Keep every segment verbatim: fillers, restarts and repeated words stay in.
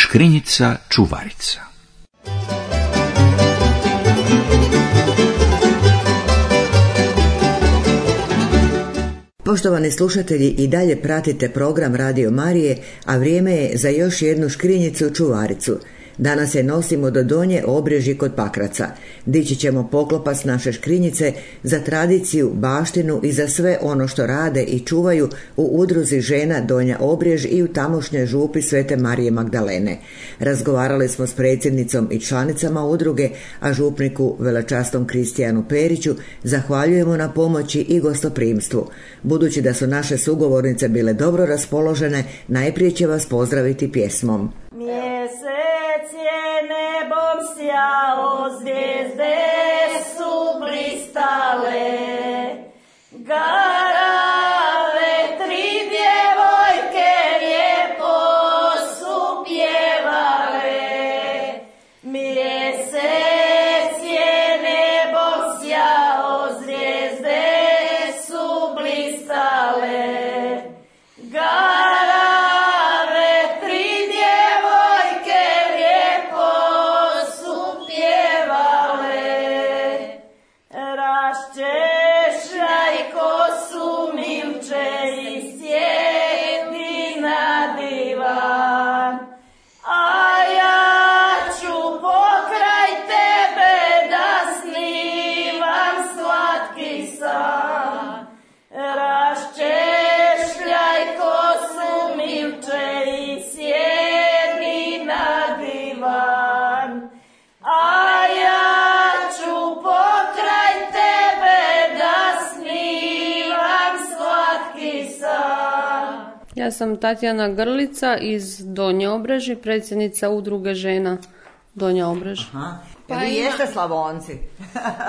Škrinjica čuvarica. Poštovani slušatelji, i dalje pratite program Radio Marije, a vrijeme je za još jednu škrinjicu čuvaricu. Danas je nosimo do Donje Obrežji kod Pakraca. Dići ćemo poklopac naše škrinjice za tradiciju, baštinu i za sve ono što rade i čuvaju u udruzi žena Donja Obrež i u tamošnjoj župi Svete Marije Magdalene. Razgovarali smo s predsjednicom i članicama udruge, a župniku velečasnom Kristijanu Periću zahvaljujemo na pomoći i gostoprimstvu. Budući da su naše sugovornice bile dobro raspoložene, najprije će vas pozdraviti pjesmom. Mjesec je nebom sjao, zvijezde su blistale, garave tri djevojke lijepo su pjevale. Mjesec je nebom sjao, zvijezde su blistale, Ja sam Tatjana Grlica iz Donje Obreži, predsjednica udruge žena Donja Obrež. Aha. Pa vi jeste Slavonci?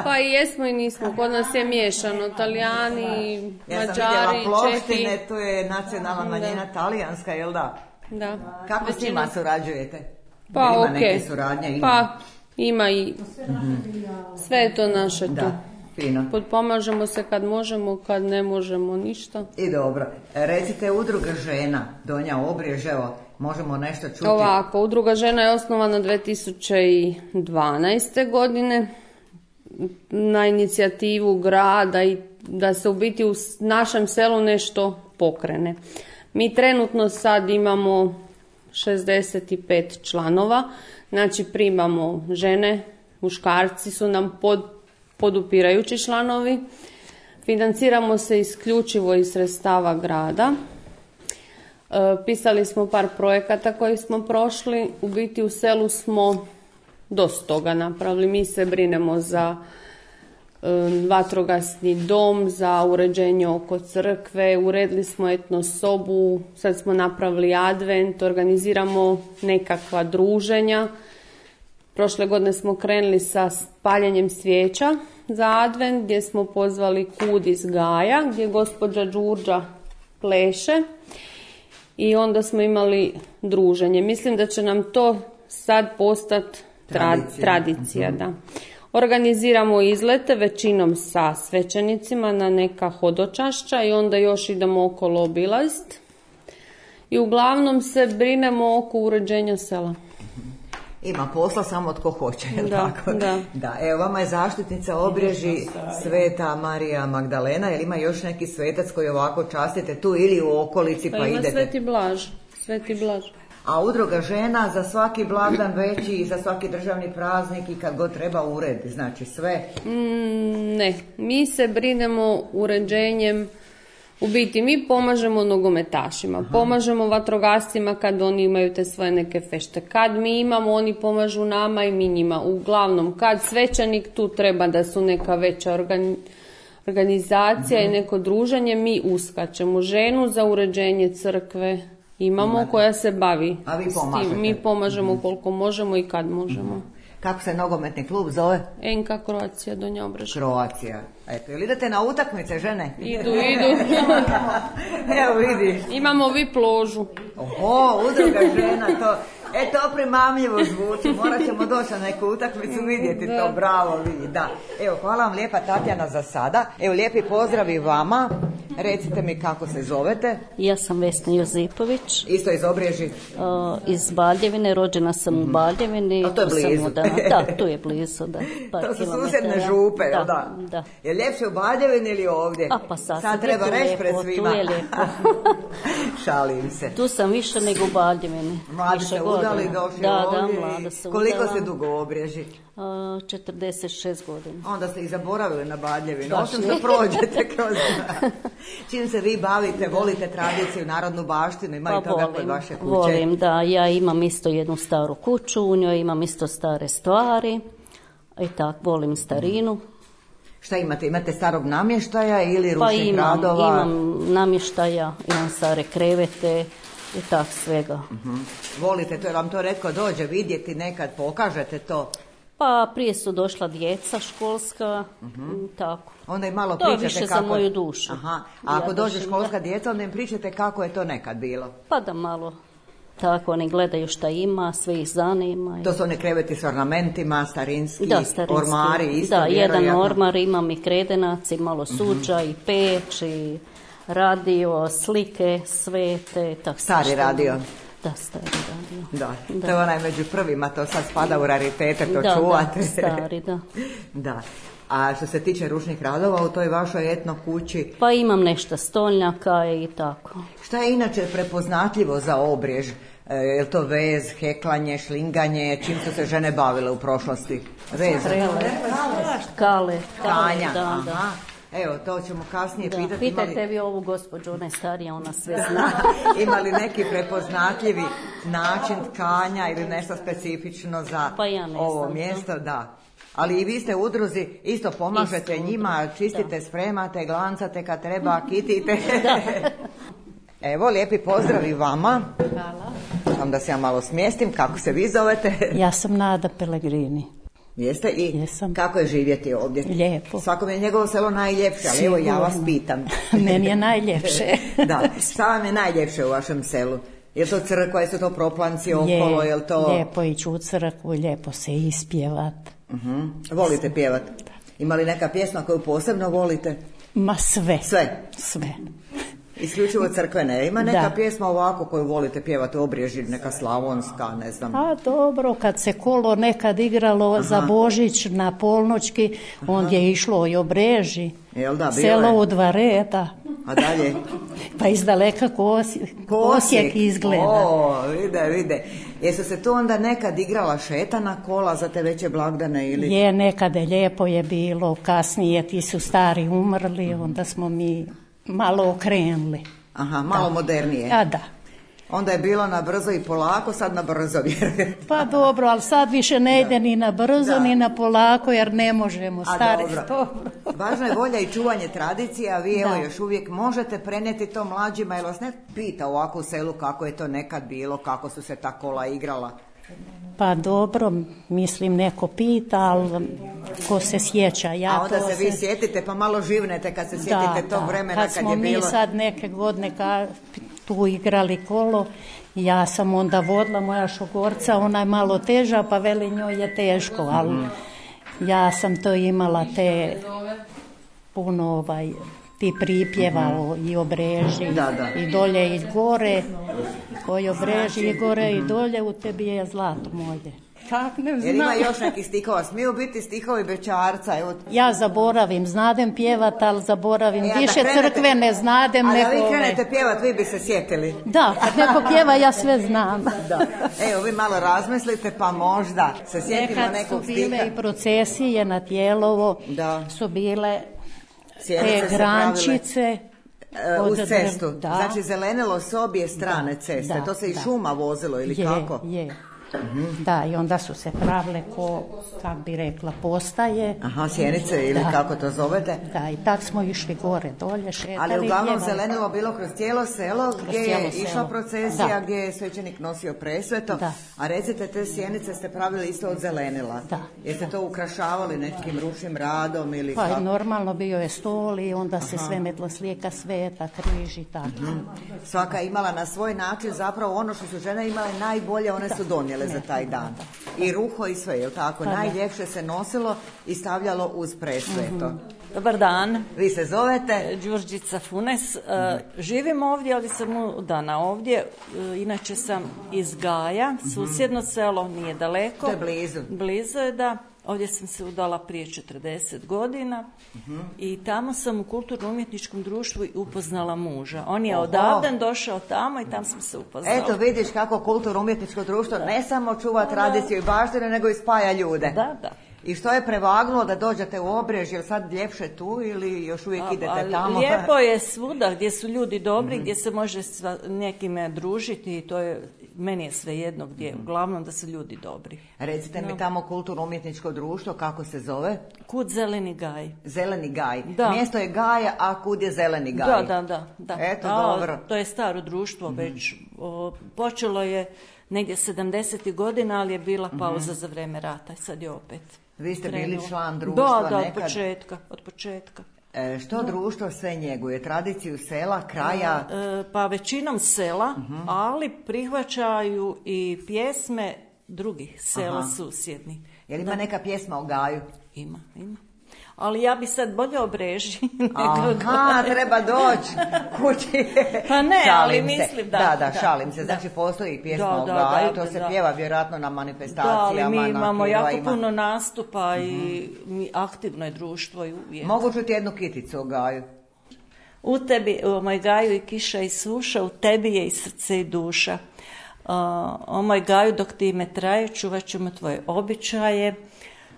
Pa i jesmo i nismo. Kod nas je miješano. Talijani, ja Mađari, Čehi. Ploštine, Čehi. tu je nacionalna manjina da. Talijanska, jel da? Da. Kako Većina. S njima surađujete? Pa ima ok. Neke suradnje? Ima? Pa ima i sve je to naše tu. Da. Fino. Potpomažemo se kad možemo, kad ne možemo ništa. I dobro. Recite, udruga žena Donja Obrež, evo, možemo nešto čuti. Ovako, udruga žena je osnovana dvije tisuće dvanaeste. godine na inicijativu grada i da se u biti u našem selu nešto pokrene. Mi trenutno sad imamo šezdeset pet članova, znači primamo žene, muškarci su nam pod podupirajući članovi. Financiramo se isključivo iz sredstava grada. E, pisali smo par projekata koji smo prošli. U biti u selu smo dosta toga napravili. Mi se brinemo za e, vatrogasni dom, za uređenje oko crkve, uredili smo etno sobu, sad smo napravili advent, organiziramo nekakva druženja. Prošle godine smo krenuli sa paljenjem svijeća za advent, gdje smo pozvali Kud iz Gaja, gdje gospođa Đurđa pleše, i onda smo imali druženje. Mislim da će nam to sad postati tradicija. tradicija da. Organiziramo izlete većinom sa svećenicima na neka hodočašća i onda još idemo okolo obilaziti. I uglavnom se brinemo oko uređenja sela. Ima posla samo tko hoće, je da, tako? Da. Da, evo vama je zaštitnica Obreži Sveta Marija Magdalena, jer ima još neki svetac koji ovako častite tu ili u okolici pa, pa ima idete? Sveti Blaž, Sveti Blaž. A udruga žena za svaki blagdan veći i za svaki državni praznik i kad god treba ured, znači sve? Mm, ne, mi se brinemo uređenjem. U biti mi pomažemo nogometašima, Aha. pomažemo vatrogascima kad oni imaju te svoje neke fešte. Kad mi imamo, oni pomažu nama i mi njima. Uglavnom, kad svećenik, tu treba da su neka veća organi- organizacija Aha. i neko druženje, mi uskačemo. Ženu za uređenje crkve imamo Imate. koja se bavi A vi s tim. Mi pomažemo Aha. koliko možemo i kad možemo. Aha. Kako se nogometni klub zove? Enka Croatia Donja Obrež. Croatia. Eto, ili idete na utakmice, žene? Idu, idu. Evo vidiš. Imamo vi pložu. Oho, udruga žena, to, e to primamljivo zvuči, morat ćemo doći na neku utakmicu vidjeti to, bravo vidi, da. Evo, hvala vam lijepa Tatjana za sada, evo lijepi pozdrav i vama, recite mi kako se zovete. Ja sam Vesna Josipović. Isto iz Obreži? Uh, iz Baljevine, rođena sam mm-hmm. u Baljevini. A to je blizu. Da, da, tu je blizu, da. Par to su kilometara. susjedne župe, da, da? Da. Je ljepše u Baljevini ili ovdje? A pa sad, sad treba reći pred svima. Tu je lijepo. Šalim se. Tu sam više nego u Baljevini. Mladi se udali, došli da, ovdje. Da, mlada se Koliko udala. se dugo u Obreži? Uh, četrdeset šest godina. Onda ste ih zaboravili na Baljevinu, osim da prođete kroz... Čim se vi bavite, volite tradiciju, narodnu baštinu, ima pa i toga volim, kod vaše kuće? Volim, da. Ja imam isto jednu staru kuću, u njoj imam isto stare stvari i tako, volim starinu. Šta imate? Imate starog namještaja ili pa ručnih imam, radova? imam namještaja, imam stare krevete i tako svega. Uh-huh. Volite to, jer vam to retko dođe vidjeti nekad, pokažete to? Pa prije su došla djeca školska, uh-huh. tako. Onda im malo to pričate više kako... za moju dušu. Aha. A ako ja dođe školska da... djeca, onda im pričate kako je to nekad bilo? Pa da malo. Tako, oni gledaju šta ima, sve ih zanima. To su one kreveti s ornamentima, starinski, da, starinski. ormari, isto da, vjerojatno. jedan ormar, imam i kredenac, i malo suđa, uh-huh. i peć, i radio, slike, svete. Tak, stari radio. Da, stari radio. Da, da, to je onaj među prvima, to sad spada u raritete, to da, čuvate. Da, stari, da. Da. A što se tiče ručnih radova u toj vašoj etno kući? Pa imam nešto stolnjaka i tako. Šta je inače prepoznatljivo za Obrež? E, je li to vez, heklanje, šlinganje, čim su se žene bavile u prošlosti? Vez? Krele, kale, tkanja, da, aha. Da. Evo, to ćemo kasnije da, pitati. Pitajte imali... vi ovu gospođu, ona je starija, ona sve zna. Ima li neki prepoznatljivi način tkanja ili nešto specifično za pa ja ne ovo znam, mjesto? Da. Da. Ali i vi ste u udruzi, isto pomažete isto, njima, čistite, da. Spremate, glancate kad treba, kitite. Da. Evo, lijepi pozdrav i vama. Hvala. Samo da se ja malo smjestim, kako se vi zovete? Ja sam Nada Pellegrini. Jeste i Jesam. Kako je živjeti ovdje? Lijepo. Svakom je njegovo selo najljepše, ali evo ja vas pitam. Meni je najljepše. Da, šta vam je najljepše u vašem selu? Je to crkva, je to proplanci okolo, je li to... Lijepo ići u crkvu, lijepo se ispjevat. Uh-huh. Volite pjevat? Ima li neka pjesma koju posebno volite? Ma sve. Sve? Sve. Isključivo crkvene. Ima neka da. Pjesma ovako koju volite pjevati u Obreži, neka slavonska, ne znam. A dobro, kad se kolo nekad igralo Aha. za Božić na polnoćki, onda je išlo i Obreži. Jel da, selo u dva reda. A dalje? Pa iz daleka Osijek, Osijek izgleda. O, vide, vide. Jesu se tu onda nekad igrala šetana kola za te veće blagdane ili? Je, nekada lijepo je bilo, kasnije ti su stari umrli, onda smo mi malo okrenuli. Aha, malo da. Modernije. A da. Onda je bilo na brzo i polako, sad na brzo vjerujem. Pa dobro, ali sad više ne ide da. Ni na brzo da. Ni na polako jer ne možemo, stari dobro. Važno je volja i čuvanje tradicije, a vi evo još uvijek možete prenijeti to mlađima, jer vas ne pita ovako u selu kako je to nekad bilo, kako su se ta kola igrala. Pa dobro, mislim neko pita, ali ko se sjeća. Ja a onda to se vi sjetite pa malo živnete kad se sjetite da, tog da. vremena kad, kad je bilo. Kad smo mi sad neke godine ka, tu igrali kolo, ja sam onda vodila moja šogorca, ona je malo teža pa veli njoj je teško, ali mm. ja sam to imala te puno ovaj... ti pripjeva mm-hmm. i Obreži da, da. I dolje i gore, koji Obreži i gore i dolje, u tebi je zlato moje. Kak ne znam. Jer ima još nekih stihova, smiju biti stihovi Bećarca. Evo. Ja zaboravim, znadem pjevat, ali zaboravim, ja, više krenete, crkve ne znadem. A neko da vi krenete pjevat, vi bi se sjetili. Da, kad neko pjeva, ja sve znam. Da. Evo, vi malo razmislite, pa možda se sjetimo nekad nekog stiha. Nekad su bile i procesije na Tijelovo, da. Su bile Sjenice te grančice uz cestu. Da. Znači zelenilo s obje strane ceste. Da, to se i da. šuma vozilo ili je, kako? Je. Mm-hmm. Da, i onda su se pravile ko, kak bi rekla, postaje. Aha, sjenice ili da. Kako to zovete? Da, i tak smo išli gore, dolje, šetali. Ali uglavnom zelenilo bilo kroz cijelo selo kroz gdje je išla selo. procesija, da. Gdje je svećenik nosio presveto. Da. A recite, te sjenice ste pravili isto od zelenila. Da. Jeste to ukrašavali nekim ručnim radom ili pa, kako? Normalno bio je stol i onda se Aha. sve metlo slijeka, sveta, križ i tako. Mm-hmm. Svaka je imala na svoj način zapravo ono što su žene imale najbolje, one da. su donijele ne, za taj dan. Da. I ruho i sve, jel tako? Pa, najljepše se nosilo i stavljalo uz presveto. Mm-hmm. Dobar dan. Vi se zovete? Đurđica Funes. Mm-hmm. Uh, živim ovdje, ali sam udana ovdje. Uh, inače sam iz Gaja, mm-hmm. susjedno selo, nije daleko. To je blizu. Blizu je, da. Ovdje sam se udala prije četrdeset godina uh-huh. i tamo sam u kulturno-umjetničkom društvu upoznala muža. On je odavden došao tamo i tam smo se upoznali. Eto vidiš kako kulturno-umjetničko društvo da. ne samo čuva tradiciju i baštine, nego i spaja ljude. Da, da. I što je prevagnulo da dođete u Obrež, jel sad ljepše tu ili još uvijek a, idete a, tamo? Lijepo je svuda gdje su ljudi dobri, mm-hmm. gdje se može sva, nekime družiti i to je, meni je svejedno gdje, mm-hmm. uglavnom da su ljudi dobri. Recite no. mi tamo kulturno-umjetničko društvo, kako se zove? Kud Zeleni Gaj. Zeleni Gaj. Da. Mjesto je Gaja, a kud je Zeleni Gaj? Da, da, da. da. Eto, a, dobro. To je staro društvo mm-hmm. već, o, počelo je negdje sedamdesetih godina, ali je bila pauza mm-hmm. za vreme rata, sad je opet. Vi ste bili član društva da, da, nekad? od početka, od početka. E, što da. društvo sve njeguje? Tradiciju sela, kraja? E, pa većinom sela, uh-huh. ali prihvaćaju i pjesme drugih sela Aha. susjednih. Je li ima da. neka pjesma o Gaju? Ima, ima. Ali ja bi sad bolje Obreži. Aha, treba doći kući. Pa ne, šalim ali se. mislim da. Da, da, šalim se. Znači postoji pjesma da, o Gaju, da, da, to se da. pjeva vjerojatno na manifestacijama. Da, ali mi imamo jako ima. puno nastupa mm-hmm. i mi aktivno je društvo i uvijek. Mogu čuti jednu kiticu o Gaju? U tebi, o moj Gaju i kiša i suša, u tebi je i srce i duša. Uh, o moj Gaju, dok ti ime traje, čuvat ćemo tvoje običaje.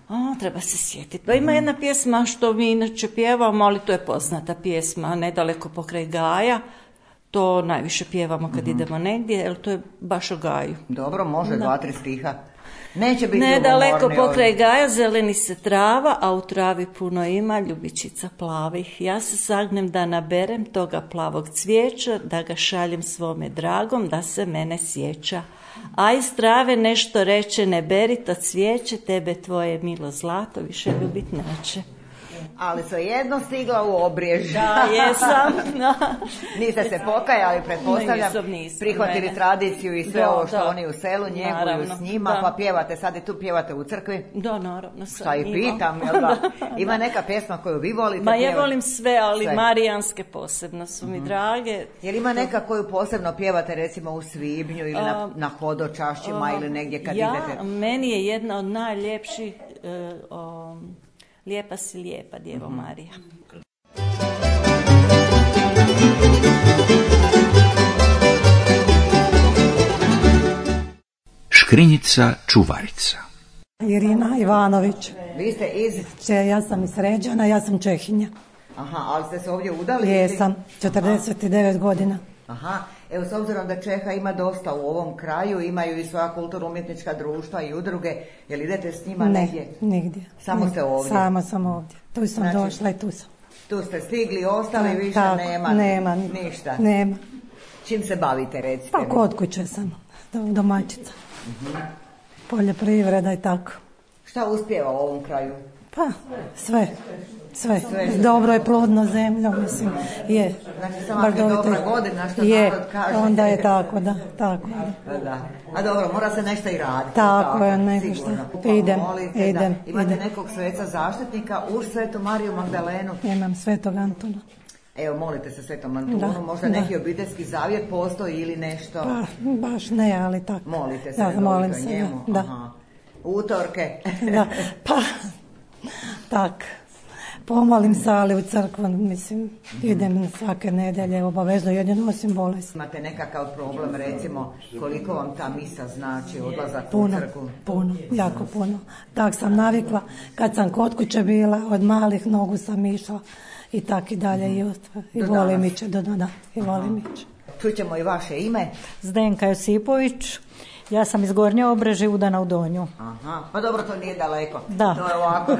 O, treba se sjetiti. Pa ima jedna pjesma što mi inače pjevamo, ali to je poznata pjesma, nedaleko pokraj Gaja. To najviše pjevamo kad mm-hmm. idemo negdje, jer to je baš o Gaju. Dobro, može, da. dva, tri stiha. Neće biti nedaleko pokraj Gaja zeleni se trava, a u travi puno ima ljubičica plavih. Ja se sagnem da naberem toga plavog cvijeća, da ga šaljem svome dragom, da se mene sjeća. A iz trave nešto reče, ne beri to cvijeće, tebe tvoje milo zlato više ljubit neće. Ali svejedno stigla u Obrež. Da, jesam. Niste se pokajali, pretpostavljam, nisam, nisam, prihvatili ne. tradiciju i sve da, ovo što da. oni u selu njeguju naravno, s njima, da. pa pjevate, sad i tu pjevate u crkvi. Da, naravno. Šta i pitam, jel da? Ima neka pjesma koju vi volite? Ma ja volim sve, ali sve. Marijanske posebno su mi mm-hmm. drage. Jel ima neka koju posebno pjevate recimo u svibnju ili a, na, na hodočašćima a, ili negdje kad ja, idete? Meni je jedna od najljepših uh, um, Lijepa si lijepa, Djevo mm-hmm. Marija. Škrinjica čuvarica. Irina Ivanović. Vi ste iz? Če, ja sam iz Sređana, ja sam Čehinja. Aha, ali ste se ovdje udali? Jesam, četrdeset devet Aha. godina. Aha, evo s obzirom da Čeha ima dosta u ovom kraju, imaju i svoja kulturno-umjetnička društva i udruge, jel idete s njima ne, negdje? Ne, nigdje. Samo ste ovdje? Samo sam ovdje. Tu sam znači, došla i tu sam. Tu ste stigli, ostali Ta, više tako, nema? Nema. Ništa? Nema. Čim se bavite, recite pa, mi? Pa kod kuće sam, domaćica. Uh-huh. Poljoprivreda i tako. Šta uspijeva u ovom kraju? Pa, sve. Sve. sve. Dobro je plodno zemlja, mislim, je. Znači, samo je dobra godina, što je, narod kaže. Onda je tako, da, tako da. da. A dobro, mora se nešto i raditi. Tako, tako je, neko što. Idem, molite, idem. Da. Imate idem. nekog sveca zaštitnika uz Svetu Mariju Magdalenu? Imam Svetog Antuna. Evo, molite se Svetom Antunu, da, možda da. neki obiteljski zavjet postoji ili nešto? Pa, baš ne, ali tako. Molite se, da, molim se, njemu? Da. Aha. Utorke? da, pa, tak. Pomolim se, ali u crkvu, mislim, mm-hmm. idem svake nedelje, obavezno jedino osim bolesti. Imate nekakav problem, recimo, koliko vam ta misa znači, odlazak puno, u crkvu? Puno, jako puno. Tak sam navikla, kad sam kod kuće bila, od malih nogu sam išla i tak i dalje, mm-hmm. i, i volim iće, do, do, da, i volim iće. Čućemo i vaše ime. Zdenka Josipović Ja sam iz Gornje Obreži, udana u Donju. Aha, pa dobro, to nije daleko. Da. To je ovako.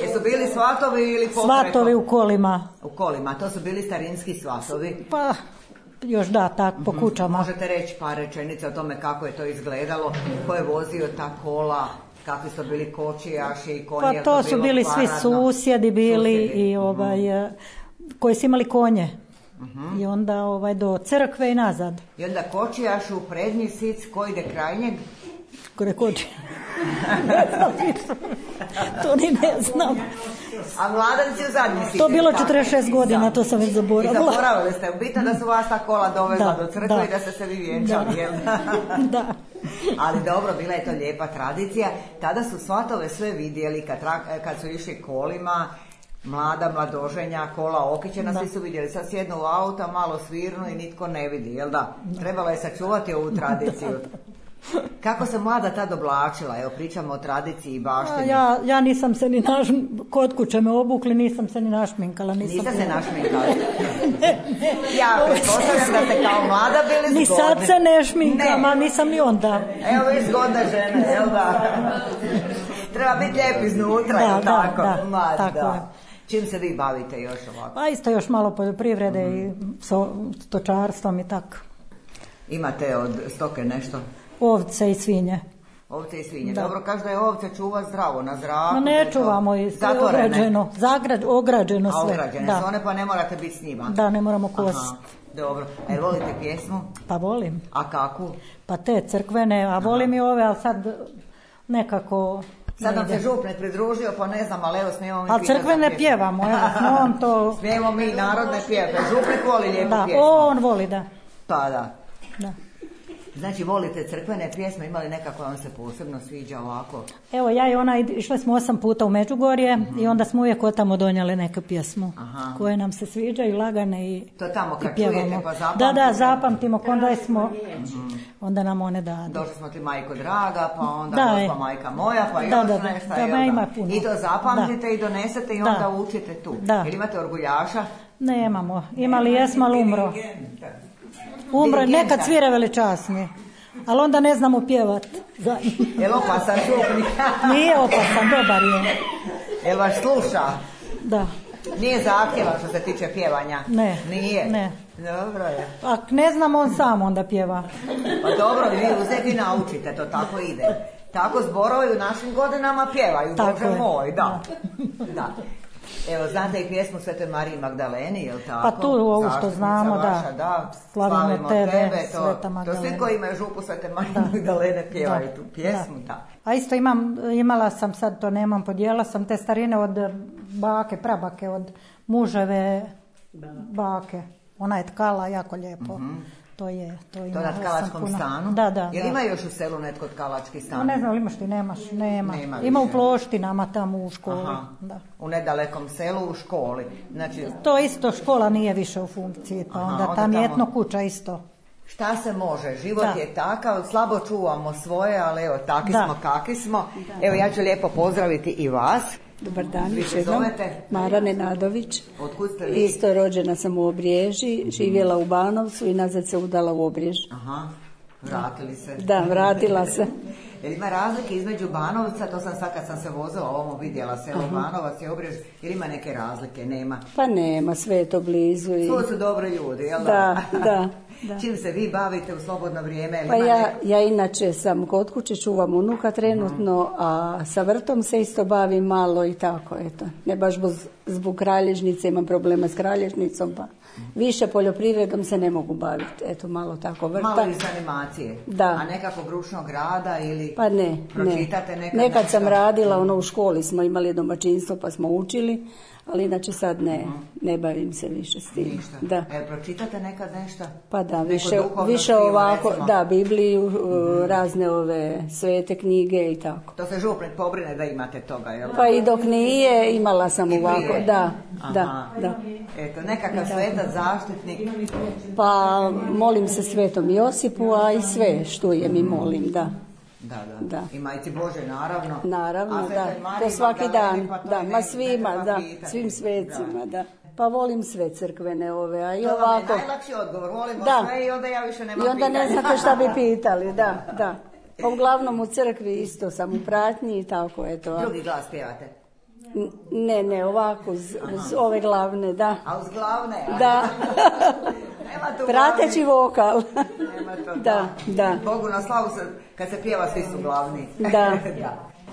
Jesu bili svatovi ili popreko? Svatovi u kolima. U kolima, to su bili starinski svatovi. Pa, još da, tak, po kućama. Možete reći par rečenica o tome kako je to izgledalo, ko je vozio ta kola, kakvi su bili kočijaši i konji? Pa to su bili svi susjedi bili i ovaj, koji su imali konje. I onda ovaj, do crkve i nazad. I onda kočijaš u prednji sic, ko ide kraj njeg? Kore koči. Ne znam više. To ni ne znam. A mladanci u zadnji sic? To bilo četrdeset šest godina, to sam već zaboravila. I zaboravili ste, bitno da su vas ta kola dovezla Da, do crkve da. i da ste se vi vjenčali, jel? Da. Ali dobro, bila je to lijepa tradicija. Tada su svatove sve vidjeli kad, tra- kad su išli kolima, mlada, mladoženja, kola okićena, svi su vidjeli. Sad sjednu u auta, malo svirnu i nitko ne vidi, jel da? Trebalo je sačuvati ovu tradiciju. Kako se mlada tad oblačila? Evo, pričamo o tradiciji i baštini. Ja, ja nisam se ni naš, kod kuće me obukli, nisam se ni našminkala. Nisam Niste se bila. našminkala? Ja pretpostavljam da ste kao mlada bili zgodni. Ni sad se ne šminkam, a nisam ni onda. Evo vi zgodna žena, jel da? Treba biti lijep iznutra, Da, jel da, tako? da, Ma, tako da. je. Čim se vi bavite još ovako? Pa isto još malo poljoprivrede i so, stočarstvom i tako. Imate od stoke nešto? Ovce i svinje. Ovce i svinje. Da. Dobro, kaže da je ovce čuva zdravo, na zraku. Ma ne čuvamo i sve ograđeno, zagrad, ograđeno A sve. ograđene Da. su one, pa ne morate biti s njima. Da, ne moramo Aha, kositi. dobro. A jel volite pjesmu? Pa volim. A kakvu? Pa te crkvene, a volim i ove, ali sad nekako... Sad nam ne se ide. župnik pridružio, pa ne znam, ali evo smijemo mi Ali pitati crkvene za pjesmu. pjevamo, evo, no on to... Smijemo mi narodne pjeve. Župnik voli lijepu Da, pjesmu. on voli, da. Pa da. Da. Znači, volite crkvene pjesme, imali nekako vam se posebno sviđa ovako? Evo, ja i ona id- išle smo osam puta u Međugorje i onda smo uvijek od tamo donijeli neku pjesmu Aha. koje nam se sviđaju, lagane i, To tamo kad i pjevamo. čujete pa Da, zapamtite? da, zapamtimo, onda smo, onda nam one dadu. Došli smo ti majko draga, pa onda Da, gospa je. majka moja, pa Da, još da, da. nešto. Da, jel ma ima puno. I to zapamtite Da. i donesete i Da. onda učite tu. Da. Jel imate orguljaša? Nemamo, imali jesmo, ali umro. Umro, Dirigenta. nekad svire veličasni, ali onda ne znamo pjevat. Da. Jel opasan župnik? Nije opasan, dobar je. Jel vas sluša? Da. Nije zahtjevan što se tiče pjevanja? Ne. Nije? Ne. Dobro je. Ak ne znam, on sam onda pjeva. Pa dobro, vi uzeti naučite, to tako ide. Tako zborovi u našim godinama pjevaju, Tako Bože je. moj, da. Da. Evo, znate i pjesmu Svete Mariji Magdaleni, jel tako? Pa tu ovu što Zaštitnica znamo, da. vaša, da. Slavimo tebe, to, Sveta to Magdalena. svi koji imaju župu Svete Marije Magdalene pjevaju tu pjesmu, da. A isto imam, imala sam, sad to nemam, podijela sam te starine od bake, prabake, od muževe bake. Ona je tkala jako lijepo. To je, to ima. To na tkalačkom stanu? Da, da. Jel da. ima još u selu netko tkalački stan? No, ne znam, ili imaš ti, nemaš, nema. Nema Ima u više. Ploštinama tamo u školi. Aha. Da. U nedalekom selu, u školi. Znači, To isto, škola nije više u funkciji, pa Aha, onda onda tam je tamo- etno kuća isto. šta se može? Život Da. je takav, slabo čuvamo svoje, ali evo, takvi Da. smo kakvi smo. Evo, ja ću lijepo pozdraviti i vas. Dobar dan, Vi još se jednom. zovete? Mara Nenadović. Otkud ste vi? Isto rođena sam u Obriježi, živjela u Banovcu i nazad se udala u Obrijež. Aha, vratili se. Da, vratila se. Jer ima razlike između Banovca, to sam sad kad sam se vozila ovamo vidjela, selo Banovac i Obrež, jer ima neke razlike, nema. Pa nema, sve je to blizu. I... To su dobri ljudi, jel Da, da, da. Čim se vi bavite u slobodno vrijeme? Jel Pa ima ja, nek- ja inače sam kod kuće, čuvam unuka trenutno, a sa vrtom se isto bavim malo i tako, eto. Ne baš zbog, zbog kralježnice, imam problema s kralježnicom, pa više poljoprivredom se ne mogu baviti, eto, malo tako vrta. Malo iz animacije. Da. A nekakvog ručnog rada ili Pa ne, pročitate ne. nekad Nekad nešto? sam radila, ono u školi smo imali domaćinstvo pa smo učili, ali inače sad ne, ne bavim se više s tim. Ništa. Da. E, pročitate nekad nešto? Pa da, Neko više, duhovno više knjigu, ovako, recimo? da, Bibliju, uh, razne ove svete knjige i tako. To se župnik pobrine da imate toga, jel? Pa i dok nije, imala sam I ovako, prije? da, Aha. da, da. Eto, nekakav svetac, zaštitnik. Pa molim se Svetom Josipu, a i sve štujem i molim, da. Da, da. Da. I Majci Bože, naravno. Naravno, A da. Svetoj Mariji To svaki Magdaleni, dan, pa to da, i ne- ma ne svima, treba da, pitati. svim svecima, da. Pa volim sve crkvene ove, a i To ovako. vam je najlakši odgovor, volimo Da. sve i onda ja više nemam I onda pitanja. ne znate šta bi pitali, da, da. Pa uglavnom u crkvi isto sam u pratnji i tako, eto. a- Drugi glas pjevate. N- Ne, ne, ovako, uz, uz ove glavne, da. A uz glavne? a? Da. Nema tu Prateći glavni. vokal. Nema to, Da, da. Bogu na slavu se, kad se pjeva svi su glavni. Da.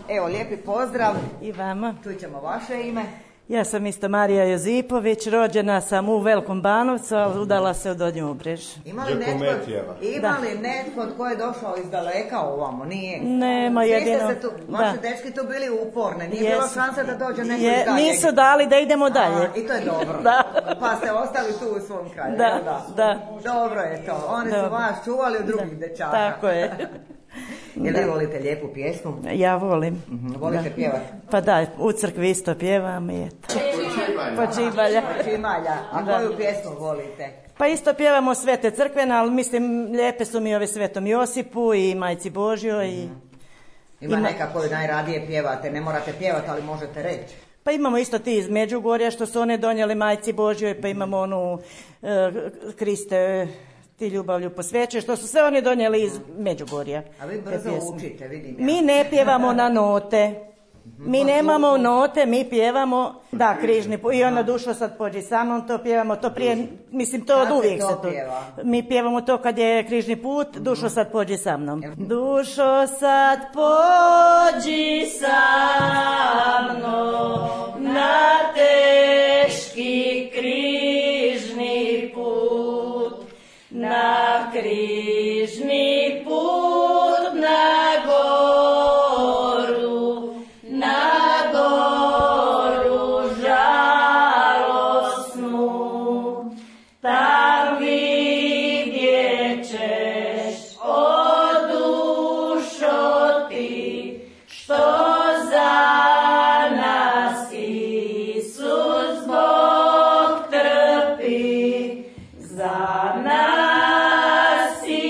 Evo, lijepi pozdrav. I vama. Čućemo vaše ime. Ja sam isto Marija Jozipović, rođena sam u Velikom Banovcu, ali udala se u Donju Obrež. Ima li netko, ima li netko tko je došao iz daleka ovamo? Nije? Nema, Svi ste jedino- se tu, vaši da. dečki tu bili uporni, nije Jesu. bilo šanse da dođe neko Je, iz daljeg. nisu dali da idemo dalje. A, i to je dobro. Da. Pa ste ostali tu u svom kraju. Da, jel da. Dobro je to. Oni su Dobro. vas čuvali od drugih dečaka. Tako je. Jel vi Da. volite lijepu pjesmu? Ja volim. Volite Da. pjevati? Pa da, u crkvi isto pjevam i eto. Počibalja. Počimalja. A Da. koju pjesmu volite? Pa isto pjevamo svete crkvene, ali mislim lijepe su mi ove Svetom Josipu i Majci Božjoj. I, Ima, Ima- neka koju najradije pjevate, ne morate pjevati, ali možete reći. pa imamo isto ti iz Međugorja što su one donijeli Majci Božjoj, pa imamo onu e, Kriste, ti ljubavlju posvećuje, što su sve oni donijeli iz Međugorja. A vi te brzo pjesme. učite, vidim ja. Mi ne pjevamo na note. Mi nemamo note, mi pjevamo, da, križni put. I ono dušo sad pođi sa mnom, to pjevamo, to prije, mislim to Kad od se uvijek to se to. pjeva? Mi pjevamo to kad je križni put, dušo sad pođi sa mnom. Dušo sad pođi sa mnom na teški križni put, na križni put, na goru, na goru žalosnu, tam vidjet ćeš, o dušo ti, što za nas Isus Bog trpi, za nas i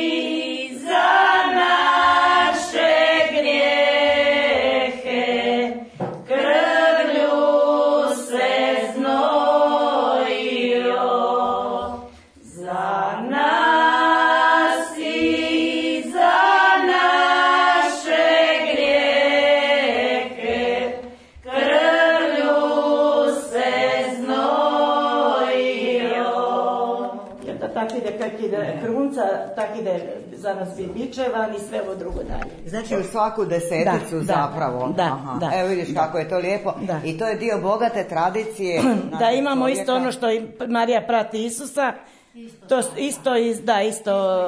za naše grijehe, krvlju se znojio, za nas i za naše grijehe, krvlju se znojio. Jer da tak ide, kak ide krunca, tak ide za nas bi bičevan i sve ovo drugo dalje. Znači u svaku deseticu Da, da, zapravo. da, Aha. da. Evo vidiš kako je to lijepo. Da. I to je dio bogate tradicije. Da našeg imamo čovjeka. isto ono što i Marija prati Isusa, to isto, iz- da, isto,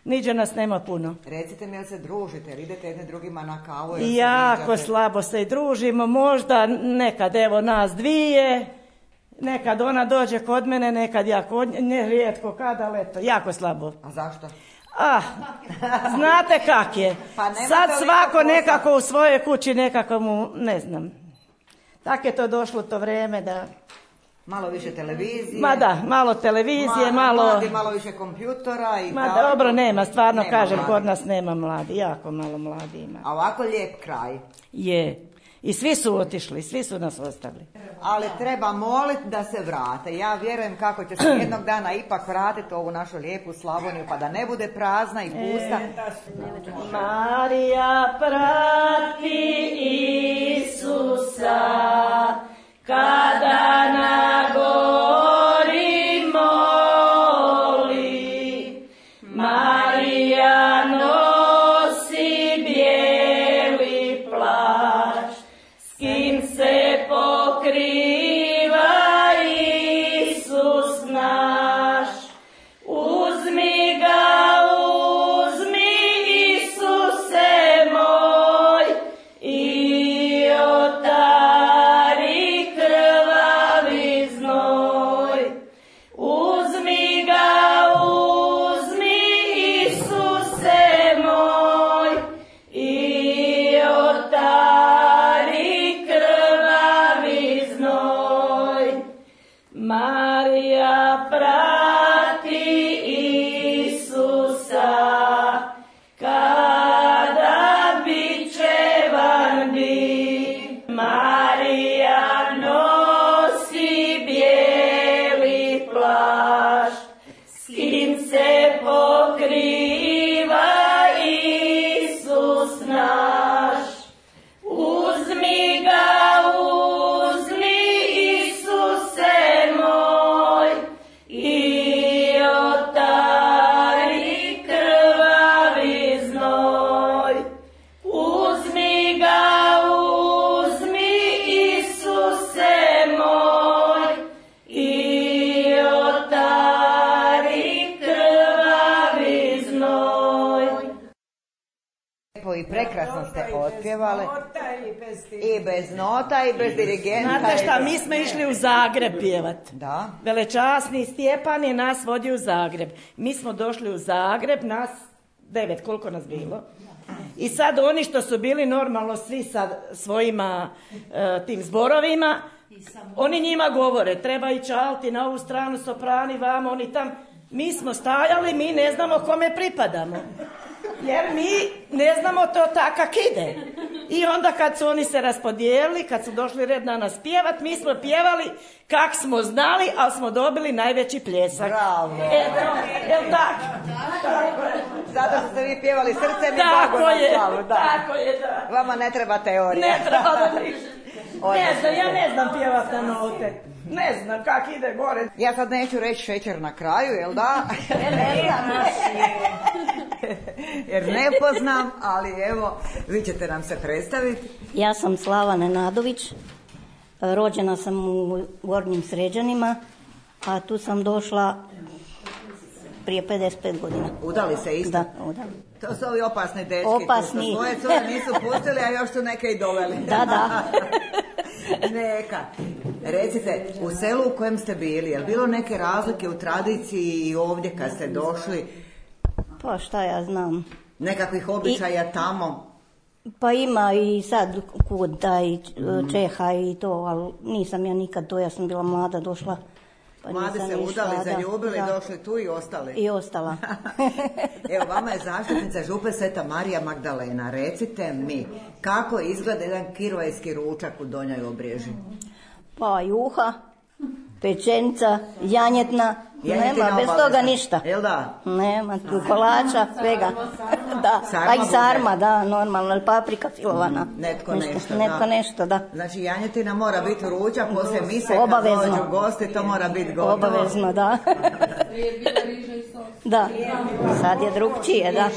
niđe nas nema puno. Recite mi, jel se družite, jel idete jedne drugima na kavu? jel se I jako viđate? slabo se i družimo, možda nekad evo nas dvije, nekad ona dođe kod mene, nekad ja kod nje, ne rijetko kad, ali eto, jako slabo. A zašto? Ah, znate kak je. Pa nema Sad toliko svako posla. nekako u svojoj kući, nekako mu, ne znam. Tak je to došlo to vrijeme da... Malo više televizije. Ma da, malo televizije, Ma- malo... mladi, malo više kompjutora i Ma tako. dobro, nema, stvarno Nema kažem, mladi. kod nas nema mladi, jako malo mladi ima. A ovako lijep kraj. Je. I svi su otišli, svi su nas ostavili. Ali treba moliti da se vrate. Ja vjerujem kako će se jednog dana ipak vratiti u ovu našu lijepu Slavoniju, pa da ne bude prazna i pusta. Marija prati Isusa, kada na gori moli. Marija nosi bijeli plašt, s kim se pokriva Isus naš. Uzmi ga, uzmi Isuse moj, i od Lijepo i prekrasno ste otpjevali. I bez, I bez nota i bez dirigenta. Znate šta, mi smo išli u Zagreb pjevat. Da. Velečasni Stjepan je nas vodio u Zagreb. Mi smo došli u Zagreb, nas devet, koliko nas bilo. I sad oni što su bili normalno svi sa svojima uh, tim zborovima, oni njima govore, treba ići alti na ovu stranu, soprani, vamo, oni tam. Mi smo stajali, mi ne znamo kome pripadamo. Jer mi ne znamo to takak ide. I onda kad su oni se raspodijelili, kad su došli red na nas pjevat, mi smo pjevali kak smo znali, ali smo dobili najveći pljesak. Bravo. Eto, jel tako? Zato što ste vi pjevali srcem i tako Bogu na je, slavu. Da. tako je, da. Vama ne treba teorija. Ne treba da ništa. Ne znam, ja ne znam pjevat na note. Ne znam kak ide gore. Ja sad neću reći šećer na kraju, jel da? Ne znam. Jer ne poznam, ali evo, vi ćete nam se predstaviti. Ja sam Slava Nenadović, rođena sam u Gornjim Sređanima, a tu sam došla prije pedeset pet godina. Udali se isto? Da, udali. To su ovi opasni dečki. Opasni. Tu svoje cure nisu pustili, a još su neke i doveli. Da, da. Neka. Recite, u selu u kojem ste bili, je li bilo neke razlike u tradiciji i ovdje kad ste došli? Pa šta ja znam. Nekakvih običaja I, tamo? Pa ima i sad kud taj Čeha i to, ali nisam ja nikad to, ja sam bila mlada, došla. Pa mladi se udali, da, zaljubili, da. Došli tu i ostali. I ostala. Evo, vama je zaštitnica župe Sveta Marija Magdalena. Recite mi, kako izgleda jedan kirvajski ručak u Donjoj Obrežji? Pa juha, pečenica, janjetna, Janjetina nema, bez obavezna. Toga ništa. Jel da? Nema, kolača, svega. Da, sarma a i sarma, bude. Da, normalno, paprika filovana. Mm, netko nešto, nešto Netko da. nešto, da. Znači, janjetina mora biti ručak, poslije mise kad obavezno. dođu gosti, to mora biti gotovo. Obavezno, da. Da, sad je drugčije, da.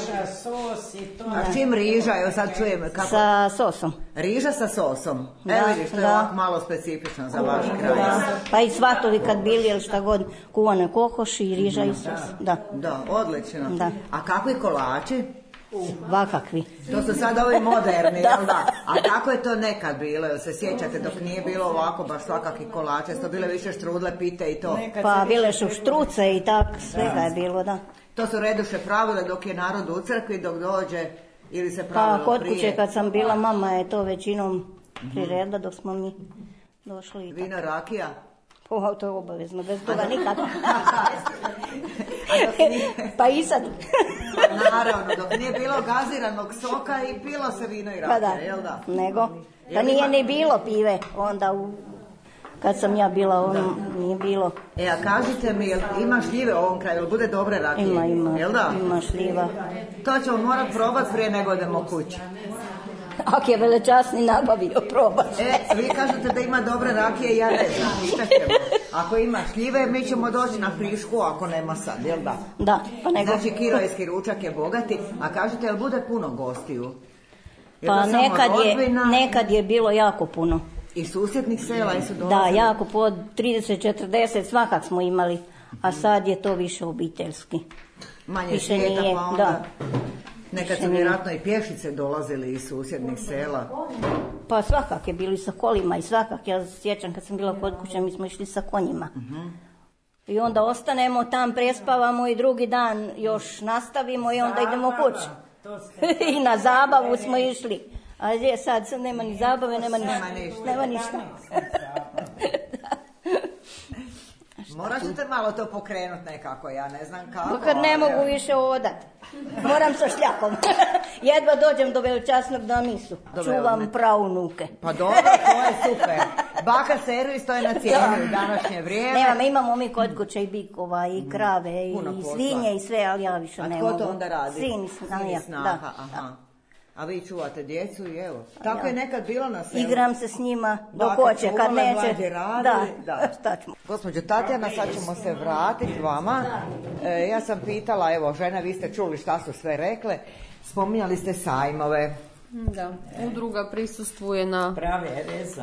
A čim riža, evo sad čujem kako... Sa sosom. Riža sa sosom. Da, evo vidiš, to je da. ovako malo specifično za vaš kraj. Da. Pa i svatovi kad bili, ili šta god, kuvane kokoši i riža i sos. Da. Da, odlično. Da. A kakvi kolači? Vakakvi. To su sad ovi moderni, da. Jel da? A kako je to nekad bilo? Jel se sjećate dok nije bilo ovako baš svakakvi kolače? To bile više štrudle, pite i to? Pa bile su štruce i tak, svega je bilo, da. To su reduše pravile dok je narod u crkvi, dok dođe ili se pravilo Pa kod prije? kuće kad sam bila, mama je to većinom priredila dok smo mi došli. Vino, rakija? O, to je obavezno, bez toga nikad. nije... Pa i sad. Naravno, dok nije bilo gaziranog soka i pilo se vino i rakija, Pa da, jel da? nego. Pa nije ni bilo pive onda u... Kad sam ja bila, on nije bilo. E, a kažite mi, jel ima šljive u ovom kraju, jel bude dobre rakije? Ima, ima, jel da? ima šljiva. To ćemo morat probat prije nego odemo kući. Ako je velečasni nabavio, probati. E, vi kažete da ima dobre rakije, ja ne znam, pitat ćemo. Ako ima šljive, mi ćemo doći na frišku, ako nema sad, jel da? Da, pa nego. Znači, kirojski ručak je bogati, a kažete, jel bude puno gostiju? Je pa nekad je, nekad je bilo jako puno. I susjednih sela i su dolazili? Da, jako, po trideset četrdeset svakak smo imali, a sad je to više obiteljski. Manje više svijeta, nije, pa onda... Da. Nekad su vjerojatno i pješice dolazili iz susjednih sela. Pa svakak je bili sa kolima i svakak. Ja sjećam kad sam bila kod kuće, mi smo išli sa konjima. Uh-huh. I onda ostanemo tam, prespavamo i drugi dan još nastavimo i onda idemo kući. I na zabavu smo išli. A gdje sad, sad nema ni zabave, nema ništa. Nema ništa. Nema ništa. Morat ćete malo to pokrenut nekako, ja ne znam kako. Kad ne mogu više odat. Moram sa šljakom. Jedva dođem do velečasnog na misu. Čuvam praunuke. Pa dobro, to je super. Baka servis, to je na cijenu u današnje vrijeme. Nemam, imamo mi kod kuće i bikova, i krave, i svinje, i sve, ali ja više ne mogu. A tko to onda radi? Sin, Sin snaha, aha. A vi čuvate djecu i evo. Tako ja. je nekad bilo na selu. Igram se s njima dok hoće, kad neće. Da, da. Šta ćemo? Gospođo Tatjana, sad ćemo se vratiti vama. E, ja sam pitala, evo, žena, vi ste čuli šta su sve rekle. Spominjali ste sajmove. Da, udruga prisustvuje na,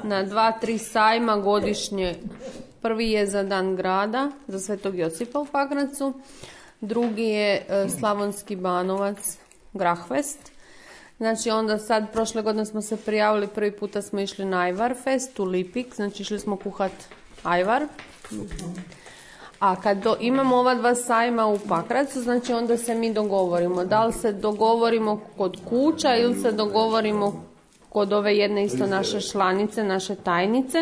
na dva, tri sajma godišnje. Prvi je za Dan grada, za Svetog Josipa u Pakracu. Drugi je Slavonski Banovac, Grahvest. Znači onda sad, prošle godine smo se prijavili, prvi puta smo išli na Ajvar Fest u Lipik, znači išli smo kuhat ajvar. A kad do, imamo ova dva sajma u Pakracu, znači onda se mi dogovorimo. Da li se dogovorimo kod kuća ili se dogovorimo kod ove jedne isto naše članice, naše tajnice.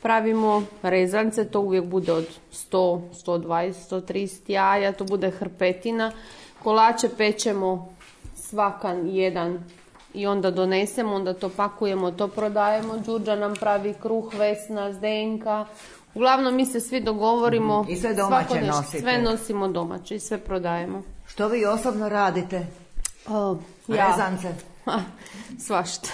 Pravimo rezance, to uvijek bude od sto, sto dvadeset, sto trideset jaja, to bude hrpetina. Kolače pečemo svakan jedan i onda donesemo, onda to pakujemo, to prodajemo. Đurđa nam pravi kruh, Vesna, Zdenka. Uglavnom mi se svi dogovorimo. I sve domaće nešto, nosite? Sve nosimo domaće i sve prodajemo. Što vi osobno radite? O, ja. Rezance? Ha, svašta.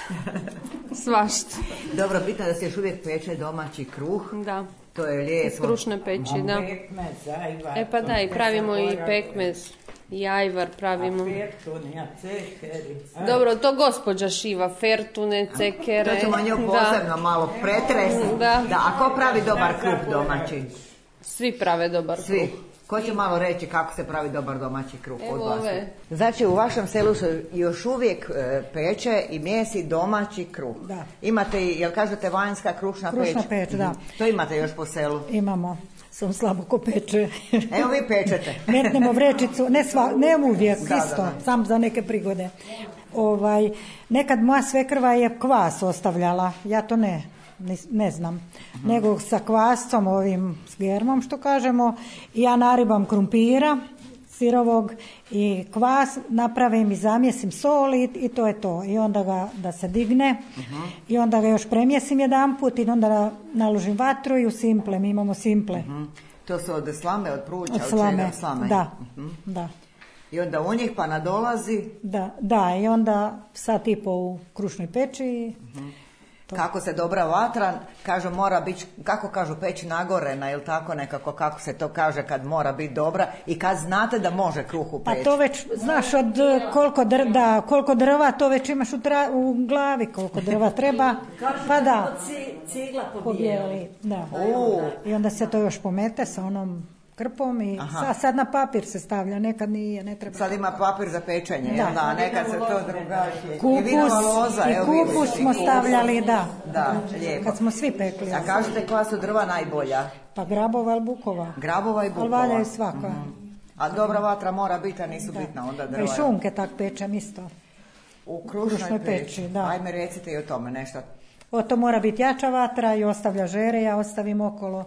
Svašta. Dobro, bitno da se još uvijek peče domaći kruh. Da. To je lijepo. Iz krušne peći, da. Pekmez, ajvar. E pa da, i pravimo i pekmez. I ajvar pravimo. A fertune, cekeri. Dobro, to gospođa šiva, fertune, cekere. To ćemo nju posebno malo pretresti. Da. Da, a ko pravi dobar kruh domaći? Svi prave dobar kruh. Svi. Ko će malo reći kako se pravi dobar domaći kruh od Evo vas? ove. Znači u vašem selu se još uvijek e, peče i mjesi domaći kruh. Da. Imate i, jel kažete, vanjska krušna peć? Krušna peć, da. To imate još po selu? Imamo. Sam slabo ko peče. Evo vi pečete. Metnemo vrećicu, ne, sva, ne uvijek, Da, isto, da, da. sam za neke prigode. Ovaj, nekad moja svekrva je kvas ostavljala, ja to ne, ne, ne znam. Mhm. Nego sa kvascom, ovim s germom što kažemo, i ja naribam krumpira sirovog i kvas napravim i zamjesim sol i, i to je to. I onda ga da se digne Mhm. i onda ga još premjesim jedanput i onda naložim vatru i u simple, mi imamo simple. Mhm. To su od slame, od pruća, Od od slame, čega? Od slame. da, Mhm. da. I onda u njih pa nadolazi. Da, da, i onda sat i po u krušnoj peći. i to. Kako se dobra vatra, kažu mora biti, kako kažu, peć nagorena, ili tako nekako, kako se to kaže kad mora biti dobra i kad znate da može kruh upeći. Pa to već, znaš, od koliko, dr, da, koliko drva, to već imaš u, tra, u glavi, koliko drva treba, pa da. Cigla Pobijeli, da. U. I onda se to još pomete sa onom krpom i sad, sad na papir se stavlja, nekad nije, ne treba. Sad ima papir za pečenje, Da. jel da, nekad se to drugačije. I Kupus, vinova loza, i evo kupus vidite. smo stavljali, da. Da, lijepo. Kad smo svi pekli. A kažete koja su drva najbolja? Pa grabova ili bukova. Grabova i bukova. Ali valjaju svaka. A dobra vatra mora biti, a nisu Da. bitna onda Pa drva. i šunke tak pečem isto. U krušnoj, krušnoj peći, peći, da. Ajme recite i o tome nešto. O, to mora biti jača vatra i ostavlja žere, ja ostavim okolo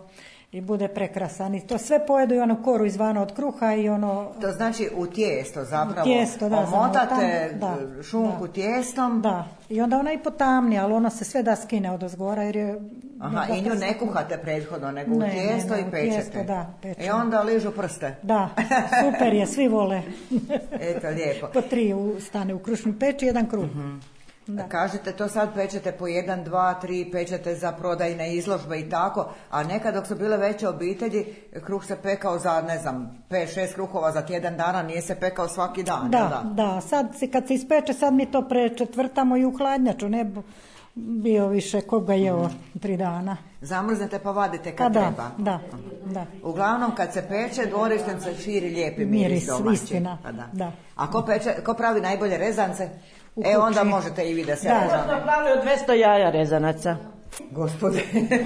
i bude prekrasan. I to sve pojedu i onu koru izvana od kruha i ono... To znači u tijesto zapravo. U tijesto, da, omotate zamotam, da, šunku da. tijestom. Da, i onda ona i potamni, ali ono se sve da skine od ozgora jer je... Aha, i nju ne kuhate prethodno, nego u Ne, tijesto ne, ne, i u pečete. tijesto, da, pečemo. I onda ližu prste. Da, super je, svi vole. Eto, lijepo. Po tri u, stane u krušnoj peći, jedan kruh. Da. Kažete, to sad pečete po jedan, dva, tri, pečete za prodajne izložbe i tako, a nekad dok su bile veće obitelji, kruh se pekao za, ne znam, pet, šest kruhova za tjedan dana, nije se pekao svaki dan. Da, jel da, da, sad se, kad se ispeče, sad mi to prečetvrtamo i u hladnjaču, ne bi bio više ko ga jeo tri dana. Zamrznete pa vadite Pa kad da, treba. da, da. Uglavnom, kad se peče, dvorištem se širi lijepi miris, Miris, domaći. istina, Pa da. da. A ko, peče, ko pravi najbolje rezance? U E, onda kući. možete i vi da se Da. režete. Smo pravili od dvjesto jaja rezanaca. Gospode.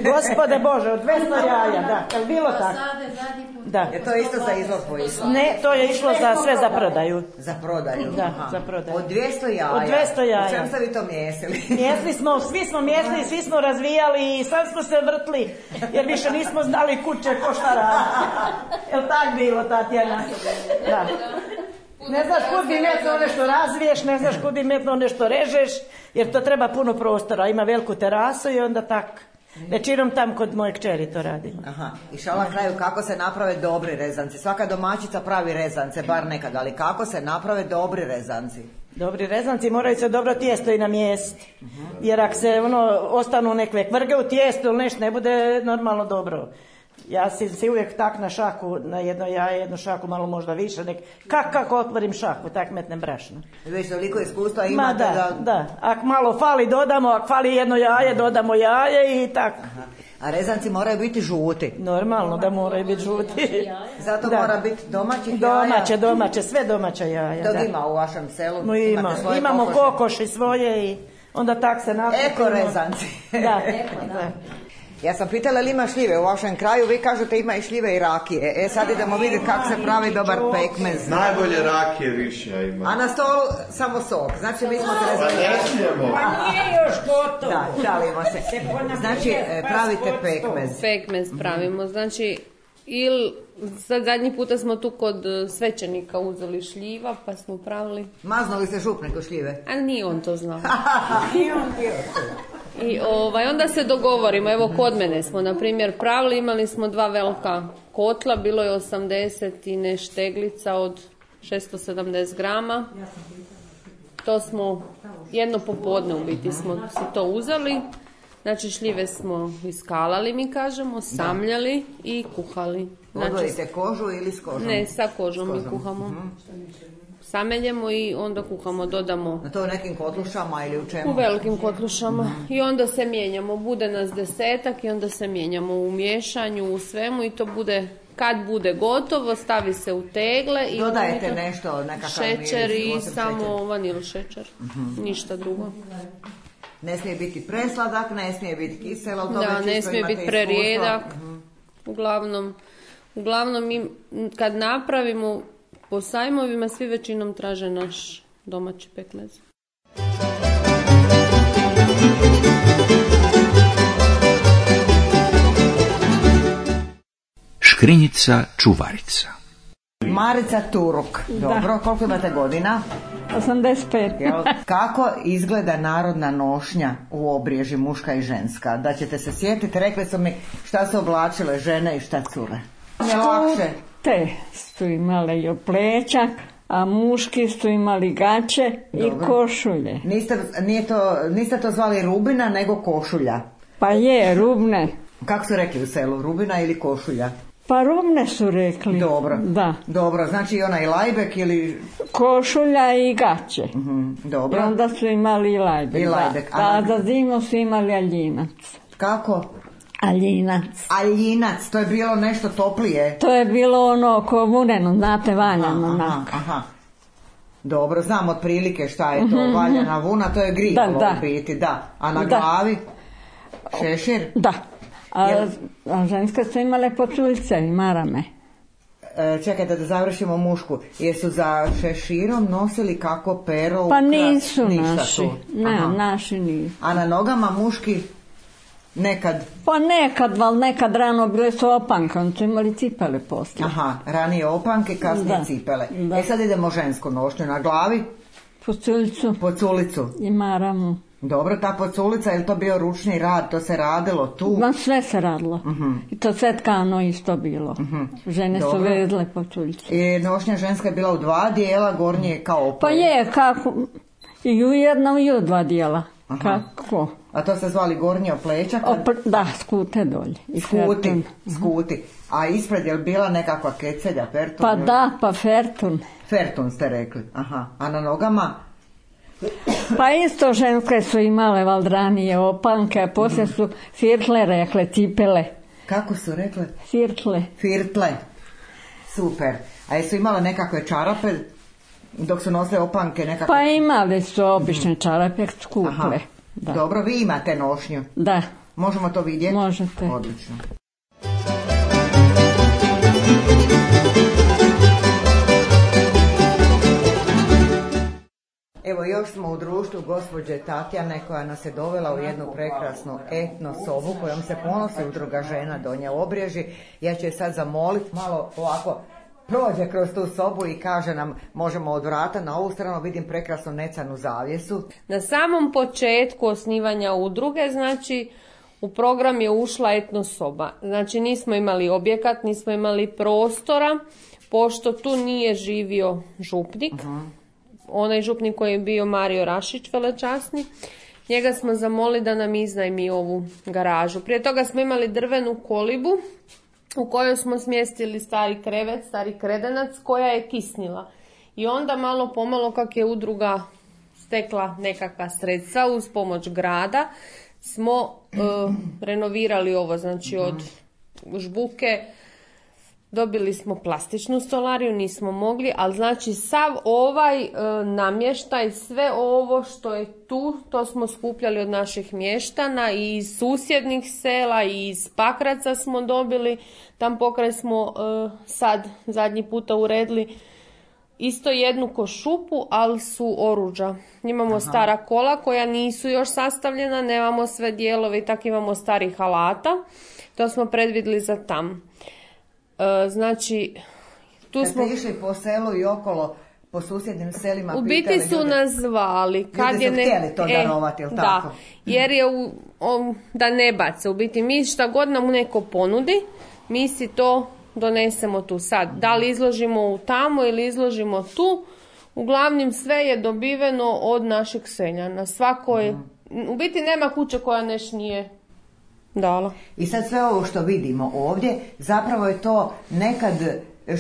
Gospode Bože, od dvjesto jaja, da. Je li bilo tako? Da. Je to isto za izložbu išlo? Ne, to je išlo za sve za prodaju. Za prodaju? Da, Aha. za prodaju. Od dvjesto jaja? Od dvjesto jaja. U čem ste vi to mjesili? Mjesli smo, svi smo mjesli, svi smo razvijali i sad smo se vrtli, jer više nismo znali kuće ko šta radi. Jel tak bilo, Tatjana? Da. Ne znaš kud bi metno nešto razviješ, ne znaš kud bi metno nešto režeš, jer to treba puno prostora. Ima veliku terasu i onda tak. Većinom tam kod moje kćeri to radimo. Aha. I šala na kraju, kako se naprave dobri rezanci? Svaka domaćica pravi rezance, bar nekad, ali kako se naprave dobri rezanci? Dobri rezanci moraju se dobro tijesto i namjestiti. Jer ako se ono, ostanu nekve kvrge u tijestu ili nešto, ne bude normalno dobro. Ja si, si uvijek tak na šaku, na jedno jaje, jednu šaku, malo možda više, nek, kak, kako otvorim šaku, tak metnem brašno. Već toliko iskustva Ma imate da, da... da, ako malo fali dodamo, ako fali jedno jaje, dodamo jaje i tako. Aha. A rezanci moraju biti žuti. Normalno da moraju biti žuti. Zato Da. mora biti domaćih jaja. Domaće, domaće, sve domaće jaja. Dok da. ima u vašem selu? No, ima. Imate svoje Imamo kokoši? kokoši svoje i onda tak se nakupimo. Eko rezanci. Da. Da. Ja sam pitala li ima šljive u vašem kraju, vi kažete ima i šljive i rakije. E sad idemo vidjeti kako se pravi dobar pekmez. Najbolje rakije više ima. A na stolu samo sok. Znači mi smo se Pa rezali. ne smijemo. Pa nije još gotovo. Da, šalimo se. Znači e, pravite pekmez. Pekmez pravimo, znači ili sad zadnji puta smo tu kod e, svećenika uzeli šljiva pa smo pravili, Maznuli se župnik u šljive. a nije on to znao. I on bio. I ovaj, onda se dogovorimo, evo kod mene smo na primjer pravili, imali smo dva velika kotla, bilo je osamdeset i ne šteglica od šesto sedamdeset grama. To smo jedno popodne u biti smo si to uzeli. Znači šljive smo iskalali, mi kažemo, samljali i kuhali. Znači, Odvojite kožu ili s kožom? ne, sa kožom, S mi kožom. kuhamo. Mhm. Sameljemo i onda kuhamo, dodamo Na to u nekim kotlušama ili u čemu? u velikim kotlušama i onda se mijenjamo, bude nas desetak i onda se mijenjamo u miješanju, u svemu i to bude, kad bude gotovo, stavi se u tegle i onda Dodajete mi to- nešto, nekakav šećer miris, i osim samo šećera. vanil šećer, ništa drugo. Ne smije biti presladak, ne smije biti kiselo. to Da, već ne isto smije imate biti iskustvo. prerijedak. Mhm. Uglavnom, uglavnom mi m, kad napravimo po sajmovima svi većinom traže naš domaći pekmez. Škrinjica čuvarica. Marica Turuk. Dobro, koliko imate godina? osamdeset pet. Jel? Kako izgleda narodna nošnja u obriježi muška i ženska? Da ćete se sjetiti, rekli su mi šta su oblačile žene i šta cure. Je lakše. Te su imale i oplećak, a muški su imali gaće i Dobro. košulje. Niste, nije to, niste to zvali rubina, nego košulja. Pa je, rubne. Kako su rekli u selu, rubina ili košulja? Pa rubne su rekli. Dobro. Da. Dobro, znači i onaj lajbek ili... Košulja i gaće. Mhm, dobro. I onda su imali i lajbek. I lajbek, Da. a- A za zimu su imali aljinac. Kako? Aljinac. Aljinac, to je bilo nešto toplije. To je bilo ono ko vuneno, znate, valjano. Aha, onako. aha. Dobro, znam otprilike šta je to, valjana vuna, to je grivalo Da, da. u biti, da. A na Da. glavi? Šešir? Da. A, Jel- a ženske su imale poculjce i marame. E, čekajte da završimo mušku. Jesu za šeširom nosili kako pero? Pa ukra- nisu ništa naši. tu? Ne, Aha. naši nisu. A na nogama muški nekad? Pa nekad, ali nekad rano bile su opanke, oni su imali cipele poslije. Aha, ranije opanke, kasnije Da. cipele. Da. E sad idemo žensku nošnju. Na glavi? Poculicu Poculicu. i maramu. Dobro, ta poculica, je li to bio ručni rad? To se radilo tu? Ma sve se radilo. I to sve tkano isto bilo. Žene su Dobro. vezle poculice. I nošnja ženska je bila u dva dijela, gornje je kao Pa opoj. je, kako, i u jednom i u dva dijela. Kako? A to ste zvali gornje oplećak? Opr- da, skute dolje. I Skuti, fertun. skuti. A ispred je li bila nekakva kecelja, fertun? Pa ili- da, pa fertun. Fertun ste rekli, aha. A na nogama? Pa isto ženske su imale valdranije opanke, a poslije su firtle rekle, cipele. Kako su rekle? Firtle. Firtle. Super. A jesu imale nekakve čarape dok su nosile opanke nekakve? Pa imali su obične čarape skuple. Aha. Da. Dobro, vi imate nošnju. Da. Možemo to vidjeti? Možete. Odlično. Evo još smo u društvu gospođe Tatjane koja nas je dovela u jednu prekrasnu etno sobu kojom se ponosi udruga žena Donja Obreži. Ja ću je sad zamoliti malo ovako prođe kroz tu sobu i kaže nam možemo od vrata na ovu stranu, vidim prekrasnu necanu zavjesu. Na samom početku osnivanja udruge, znači u program je ušla etno soba. Znači nismo imali objekat, nismo imali prostora, pošto tu nije živio župnik. Onaj župnik koji je bio Mario Rašić, velečasni. Njega smo zamolili da nam iznajmi ovu garažu. Prije toga smo imali drvenu kolibu u kojoj smo smjestili stari krevet, stari kredenac koja je kisnila. I onda malo pomalo kak je udruga stekla nekakva sredstva uz pomoć grada, smo e, renovirali ovo, znači od žbuke. Dobili smo plastičnu stolariju, nismo mogli, ali znači sav ovaj e, namještaj, sve ovo što je tu, to smo skupljali od naših mještana i iz susjednih sela i iz Pakraca smo dobili. Tam pokraj smo e, sad zadnji puta uredili isto jednu košupu, ali su oruđa. Imamo Aha. stara kola koja nisu još sastavljena, nemamo sve dijelove i tako imamo starih alata. To smo predvidjeli za tam. Znači, tu kad smo... ste išli po selu i okolo, po susjednim selima, u biti pitali su ljude, nas zvali. Kad ljudi je su ne... htjeli to e, darovati, jel da, tako? jer je u, o, da ne bace. U biti mi šta god nam neko ponudi, mi si to donesemo tu sad. Da li izložimo u tamo ili izložimo tu, uglavnom sve je dobiveno od naših seljana. Svako je... U biti nema kuće koja neš nije dala. I sad sve ovo što vidimo ovdje, zapravo je to nekad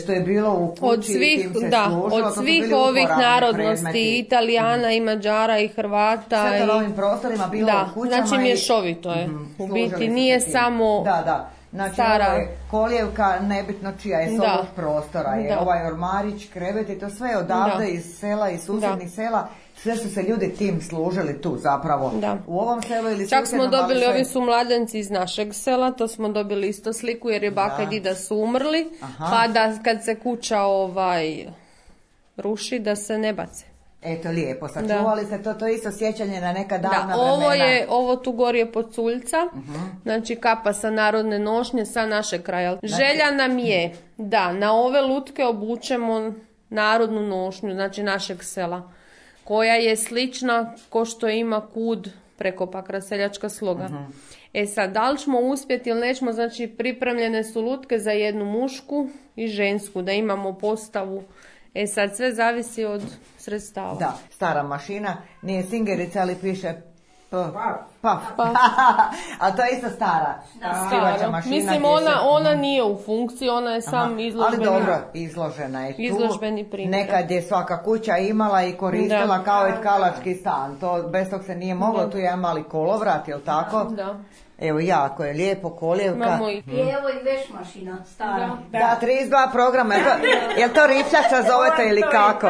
što je bilo u kući od svih, tim se da, služilo, od svih ovih narodnosti, predmeti. Italijana mm. i Mađara i Hrvata. Sve to i... na ovim prostorima bilo da, u kućama. Znači mješovito je. Mm, u biti nije samo da, da. Znači stara... ovo je kolijevka, nebitno čija je s ovog prostora. Je. Da. Ovaj ormarić, krevet i to sve je odavde da. iz sela, iz susjednih da. sela. Sve su se ljudi tim služili tu zapravo. Da. U ovom selu ili čak smo dobili, sve... ovi su mladenci iz našeg sela, to smo dobili isto sliku jer je baka da. i dida su umrli. Aha. Pa da kad se kuća ovaj ruši da se ne bace. Eto lijepo, sačuvali se to, to je isto sjećanje na neka davna da, ovo vremena. je, ovo tu gori je Poculjca, uh-huh. znači kapa sa narodne nošnje sa našeg kraja. Znači... Želja nam je da na ove lutke obučemo narodnu nošnju, znači našeg sela, koja je slična ko što ima kud preko Pakra seljačka sloga. Uh-huh. E sad, da li ćemo uspjeti ili nećemo, znači pripremljene su lutke za jednu mušku i žensku, da imamo postavu. E sad, sve zavisi od sredstava. Da, stara mašina, nije singerica, ali piše paf. Paf. Pa. A to je isto stara skivača mašina. Mislim, ona, se... ona nije u funkciji, ona je sam Aha. izložbeni. Ali dobro, izložena je tu. Izložbeni primjer. Nekad je svaka kuća imala i koristila da. kao i tkalački stan. To, bez tog se nije moglo, da. tu je mali kolovrat, jel tako? Da. Evo jako je lijepo, kolijevka. I... I evo i veš mašina, stara. Da, da trideset dva programa. Je to, je to rifljača zovete ili kako?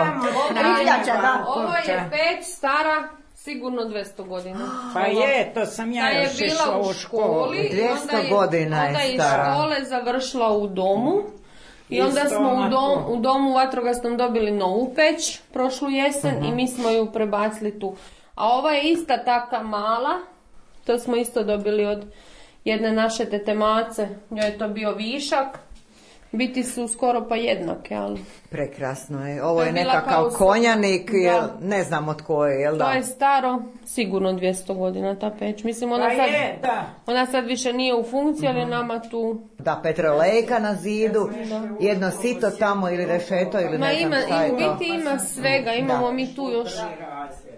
Rifljača, da. Ovo je peć stara sigurno dvjesto godina. Pa je, to sam ja još išla u školi. dvjesto godina je stara. Onda je škole završila u domu. I onda smo u, dom, u domu vatrogasnom dobili novu peć prošlu jesen uh-huh. i mi smo ju prebacili tu. A ova je ista taka mala. To smo isto dobili od jedne naše tete Mace. Njoj je to bio višak. Biti su skoro pa jednake, ali... Prekrasno je. Ovo je, je nekakav konjanik, jel, ne znam od koje, jel da? To je staro, sigurno dvjesto godina ta peć. Mislim, ona, sad, je, da. ona sad više nije u funkciji, ali mm-hmm. nama tu... Da, petrolejka na zidu, da. jedno sito tamo ili rešeto ili Ma ne znam ima, šta je to. U biti ima svega, imamo da. mi tu još...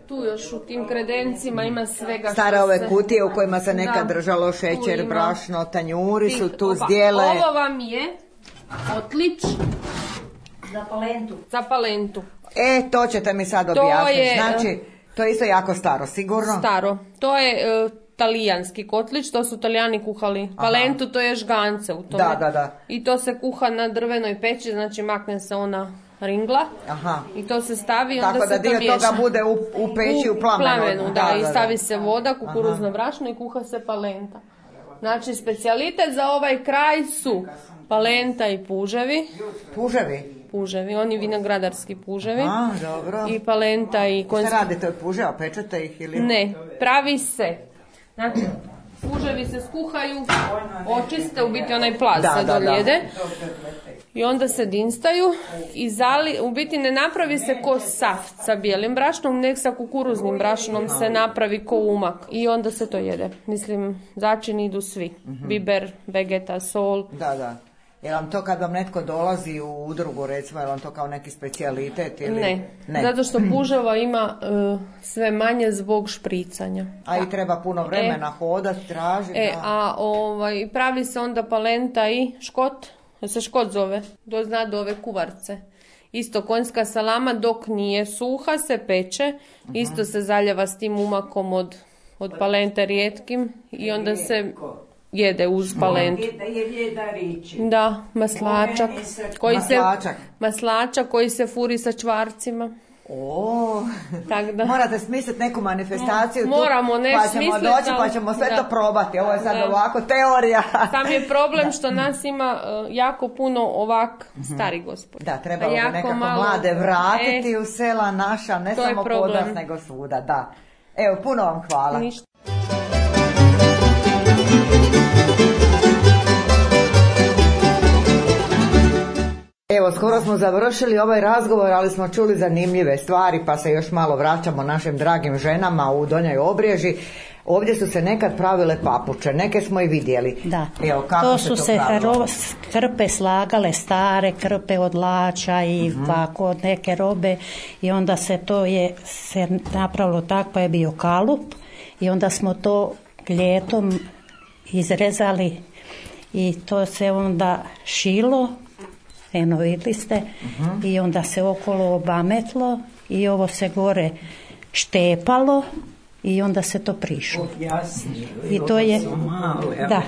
Tu još u tim kredencima ima svega. Stare što ove se... kutije u kojima se nekad da. držalo šećer, brašno, tanjuri su tu zdjele. Ovo vam je otlič za palentu. Za palentu. E, to ćete mi sad objasniti. Je, znači, to je isto jako staro, sigurno? Staro. To je uh, talijanski kotlić, to su Talijani kuhali. Aha. Palentu to je žgance u tome. Da, da, da. I to se kuha na drvenoj peći, znači makne se ona ringla. Aha. I to se stavi i onda tako se da dio to miješa. toga bude u, u peći u, u plamenu. plamenu da, da, da, i stavi se voda, kukuruzno brašno i kuha se palenta. Znači, specijalitet za ovaj kraj su palenta i puževi. Puževi? Puževi, oni vinogradarski puževi. A, dobro. I palenta i konjski. Šta radite od puževa, pečete ih ili? Ne, pravi se. Znači, puževi se skuhaju, očiste, u biti onaj plaz se doljede. I onda se dinstaju i zali, u biti ne napravi se ko saft sa bijelim brašnom, nek sa kukuruznim brašnom se napravi ko umak. I onda se to jede. Mislim, začini idu svi. Mm-hmm. Biber, vegeta, sol. Da, da. Je vam to kad vam netko dolazi u udrugu, recimo, je vam to kao neki specijalitet? Ili... Ne. ne, zato što puževa ima uh, sve manje zbog špricanja. A i treba puno vremena e, hodati, tražiti. E, a ovaj, pravi se onda palenta i škot, se škot zove, do zna do ove kuvarce. Isto konjska salama dok nije suha se peče, uh-huh. isto se zaljeva s tim umakom od od palente rijetkim i onda se jede uz palentu. Da, maslačak koji se, maslačak koji se furi sa čvarcima. O, da. Morate smisliti neku manifestaciju. Moramo ne pa ćemo smisliti, doći pa ćemo sve da. to probati. Ovo je sad da. ovako teorija. Sam je problem što nas ima uh, jako puno ovak stari gospod. Da, trebalo bi nekako malo, mlade vratiti e, u sela naša, ne samo kod nas nego svuda. Da. Evo, puno vam hvala. Ništa. Evo, skoro smo završili ovaj razgovor, ali smo čuli zanimljive stvari, pa se još malo vraćamo našim dragim ženama u Donjoj Obreži. Ovdje su se nekad pravile papuče, neke smo i vidjeli. Da, Evo, kako to se su to se pravilo? krpe slagale, stare krpe od lača i uh-huh. ovako od neke robe i onda se to je se napravilo tako, pa je bio kalup i onda smo to ljetom izrezali i to se onda šilo. Eno, vidjeli ste, uh-huh. i onda se okolo obametlo i ovo se gore štepalo i onda se to prišlo. I to je, da,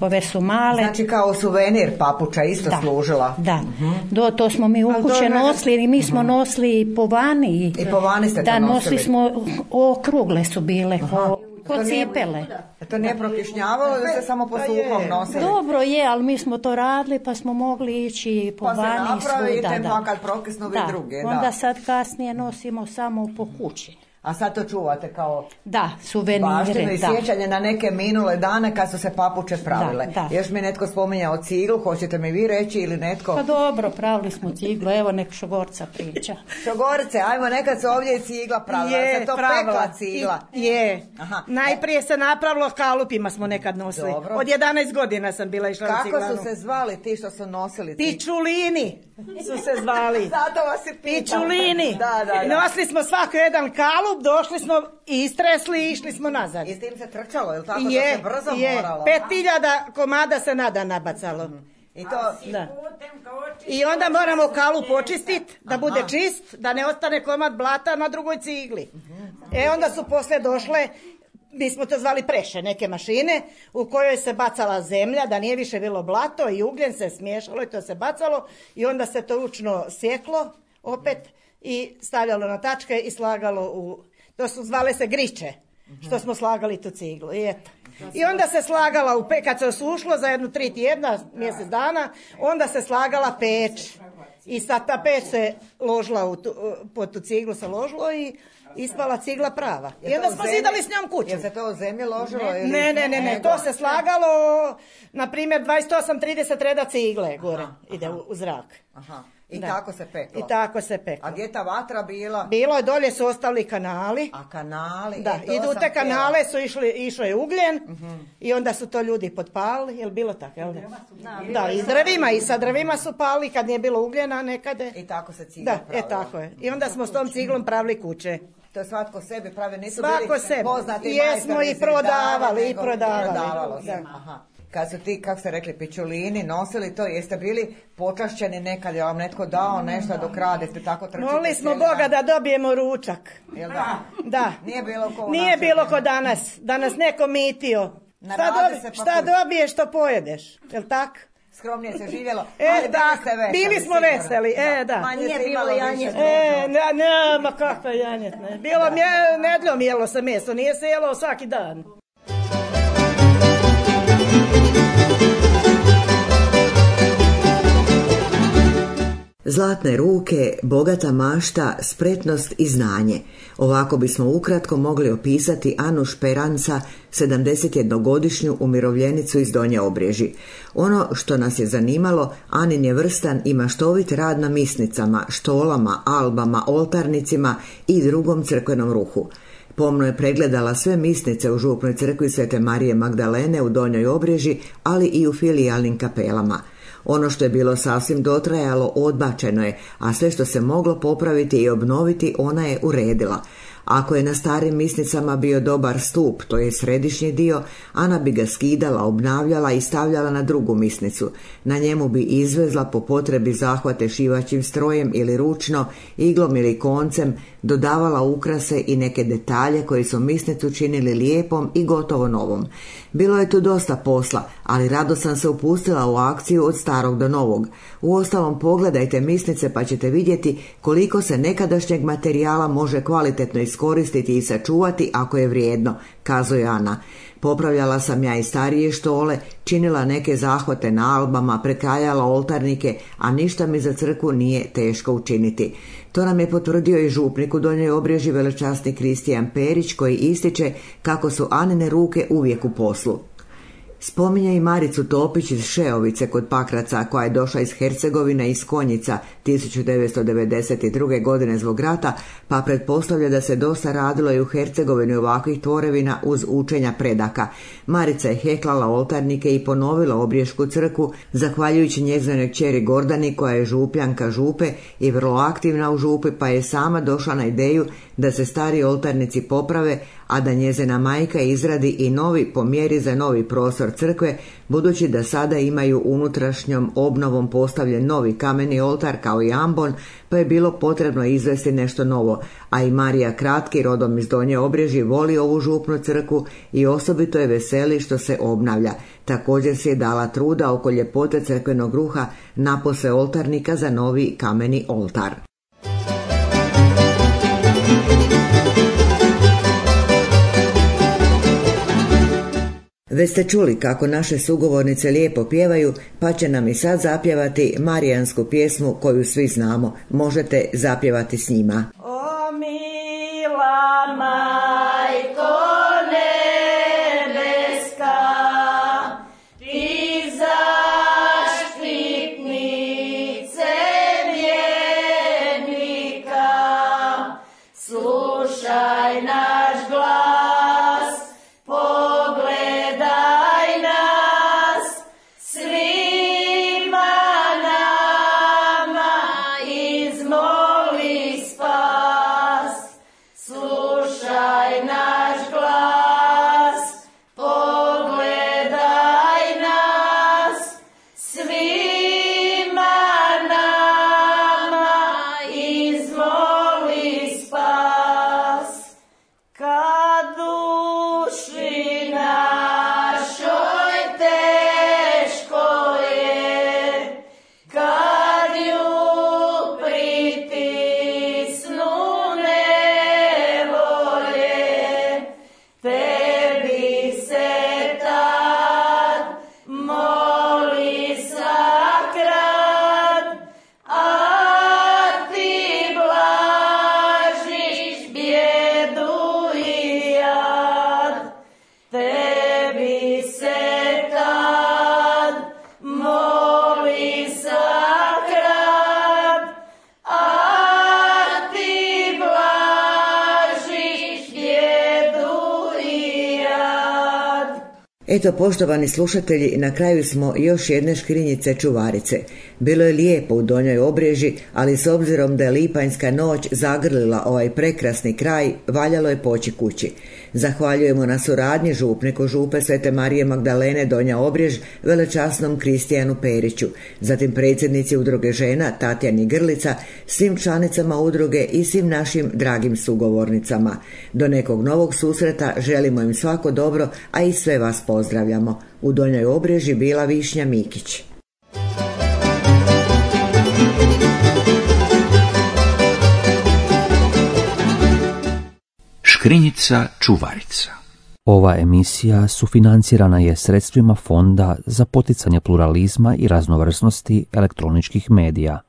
ove su male. Znači kao suvenir papuča isto da, služila. Da, uh-huh. Do, to smo mi u kuće nosili i mi smo uh-huh. nosili i po vani. I, I po vani ste to da, nosili? nosili smo, okrugle su bile, uh-huh. ko cipele. To nije prokišnjavalo ili se samo po suhom nosili? Dobro je, ali mi smo to radili pa smo mogli ići po pa vani i svuda. Pa se napravi, kad prokisnu vi druge. Da. Onda sad kasnije nosimo samo po kući. A sad to čuvate kao da, suvenire, baštinu i sjećanje na neke minule dane kad su se papuče pravile. Da, da. Još mi netko spominjao ciglu, hoćete mi vi reći ili netko? Pa dobro, pravili smo ciglu, evo nek Šogorca priča. Šogorice, ajmo, nekad se ovdje i cigla pravila, je, se to pravila. Pekla cigla. I, je, Aha. Najprije se napravilo, kalupima smo nekad nosili. Dobro. Od jedanaest godina sam bila išla na ciglanu. Kako su se zvali ti što su nosili ciglu? Pičulini su se zvali. Zato vas i pitam. Pičulini. Da, da, da. Nosili smo svako jedan kalup, došli smo i istresli i išli smo nazad. I s tim se trčalo, je li tako je, da se brzo je. moralo? Pet hiljada komada se nada nabacalo. Mm. I, to, da. I onda moramo kalup očistiti, da bude Aha. čist, da ne ostane komad blata na drugoj cigli. Mm-hmm. E onda su poslije došle, mi smo to zvali preše, neke mašine u kojoj se bacala zemlja, da nije više bilo blato i ugljen se smiješalo i to se bacalo i onda se to ručno sjeklo opet i stavljalo na tačke i slagalo u... To su zvale se griče, što smo slagali tu ciglu. I, eto. I onda se slagala, u pe, kad se osušlo za jednu tri tjedna, mjesec dana, onda se slagala peć. I sad ta peć se ložila, u tu, pod tu ciglu se ložilo i ispala cigla prava. I onda smo zidali s njom kuću. Je se to u zemlji ložilo? Ne, ili... ne, ne, ne, ne, to se slagalo, na primjer, dvadeset osam trideset reda cigle gore, aha, ide aha. U, u zrak. Aha. I da. tako se peklo. I tako se peklo. A gdje ta vatra bila? Bilo je, dolje su ostali kanali. A kanali? Da, e, idu te kanale su išli, išao je ugljen uh-huh. i onda su to ljudi potpalili, je li bilo tako? Jel da? Da, da, i s drvima, i sa drvima su pali kad nije bilo ugljena nekade. I tako se cigla pravila. Da, e tako je. I onda smo s tom ciglom pravili kuće. To svatko sebi pravi, nisu Svako bili sebi. Poznati jesmo i prodavali, i prodavali. Prodavalo se. Aha. Kad su ti, kako ste rekli, pičulini nosili to, jeste bili počašćeni nekad, je vam netko dao nešto dok radite, tako trčite? Molili smo Boga da dobijemo ručak. Jel da? Da. Nije bilo ko Nije bilo ko danas, da nas neko mitio. Šta, dobi, pa šta dobiješ, to pojedeš, jel tak? Skromnije se živjelo, e, ali da, bili ste veseli. Bili smo sigurno. veseli, e, da. Manje nije bilo janjetne. E, ne, ne, ma kakva janjetne. Bilo mje, nedljom jelo se meso, nije se jelo svaki dan. Zlatne ruke, bogata mašta, spretnost i znanje. Ovako bismo ukratko mogli opisati Anu Šperanca, sedamdesetjednogodišnju umirovljenicu iz Donje Obreži. Ono što nas je zanimalo, Anin je vrstan i maštovit rad na misnicama, štolama, albama, oltarnicima i drugom crkvenom ruhu. Pomno je pregledala sve misnice u župnoj crkvi Svete Marije Magdalene u Donjoj Obreži, ali i u filijalnim kapelama. Ono što je bilo sasvim dotrajalo odbačeno je, a sve što se moglo popraviti i obnoviti ona je uredila. Ako je na starim misnicama bio dobar stup, to je središnji dio, Ana bi ga skidala, obnavljala i stavljala na drugu misnicu. Na njemu bi izvezla po potrebi zahvate šivaćim strojem ili ručno, iglom ili koncem, dodavala ukrase i neke detalje koji su misnicu činili lijepom i gotovo novom. Bilo je tu dosta posla, ali rado sam se upustila u akciju od starog do novog. Uostalom, pogledajte misnice pa ćete vidjeti koliko se nekadašnjeg materijala može kvalitetno iskoristiti i sačuvati ako je vrijedno, kazuje Ana. Popravljala sam ja i starije štole, činila neke zahvate na albama, prekrajala oltarnike, a ništa mi za crkvu nije teško učiniti. To nam je potvrdio i župnik u Donjoj Obrežji, velečasni Kristijan Perić, koji ističe kako su Anine ruke uvijek u poslu. Spominje i Maricu Topić iz Šeovice kod Pakraca, koja je došla iz Hercegovine iz Konjica tisuću devetsto devedeset druge. godine zbog rata, pa pretpostavlja da se dosta radilo i u Hercegovini ovakvih tvorevina uz učenja predaka. Marica je heklala oltarnike i ponovila Obrijšku crkvu, zahvaljujući njezinoj kćeri Gordani, koja je župljanka župe i vrlo aktivna u župi, pa je sama došla na ideju da se stari oltarnici poprave, a da njezina majka izradi i novi po mjeri za novi prostor crkve, budući da sada imaju unutrašnjom obnovom postavljen novi kameni oltar kao i ambon, pa je bilo potrebno izvesti nešto novo, a i Marija Kratki, rodom iz Donje Obrežje, voli ovu župnu crkvu i osobito je veseli što se obnavlja. Također si je dala truda oko ljepote crkvenog ruha napose oltarnika za novi kameni oltar. Već ste čuli kako naše sugovornice lijepo pjevaju, pa će nam i sad zapjevati marijansku pjesmu koju svi znamo. Možete zapjevati s njima. O mila majko nebeska, ti zaštitnice vjernika, slušaj naš glas, pogledaj nas, svima nama izmoli spas. Slušaj naš glas, pogledaj nas, svima nama izmoli spas. Kad duši našoj teško je, kad ju pritisnu nevolje, tebi se tad moli sakrat, a ti blažiš bjedu i jad. Tebi se tad moli sakrat, a ti blažiš bjedu i jad. Eto, poštovani slušatelji, na kraju smo još jedne škrinjice čuvarice. Bilo je lijepo u Donjoj Obrežji, ali s obzirom da je lipanjska noć zagrlila ovaj prekrasni kraj, valjalo je poći kući. Zahvaljujemo na suradnji župniku župe Svete Marije Magdalene Donja Obrež, velečasnom Kristijanu Periću, zatim predsjednici udruge žena Tatjani Grlica, svim članicama udruge i svim našim dragim sugovornicama. Do nekog novog susreta želimo im svako dobro, a i sve vas pozdravljamo. U Donjoj Obrežji bila Višnja Mikić. Škrinjica čuvarica. Ova emisija sufinancirana je sredstvima Fonda za poticanje pluralizma i raznovrsnosti elektroničkih medija.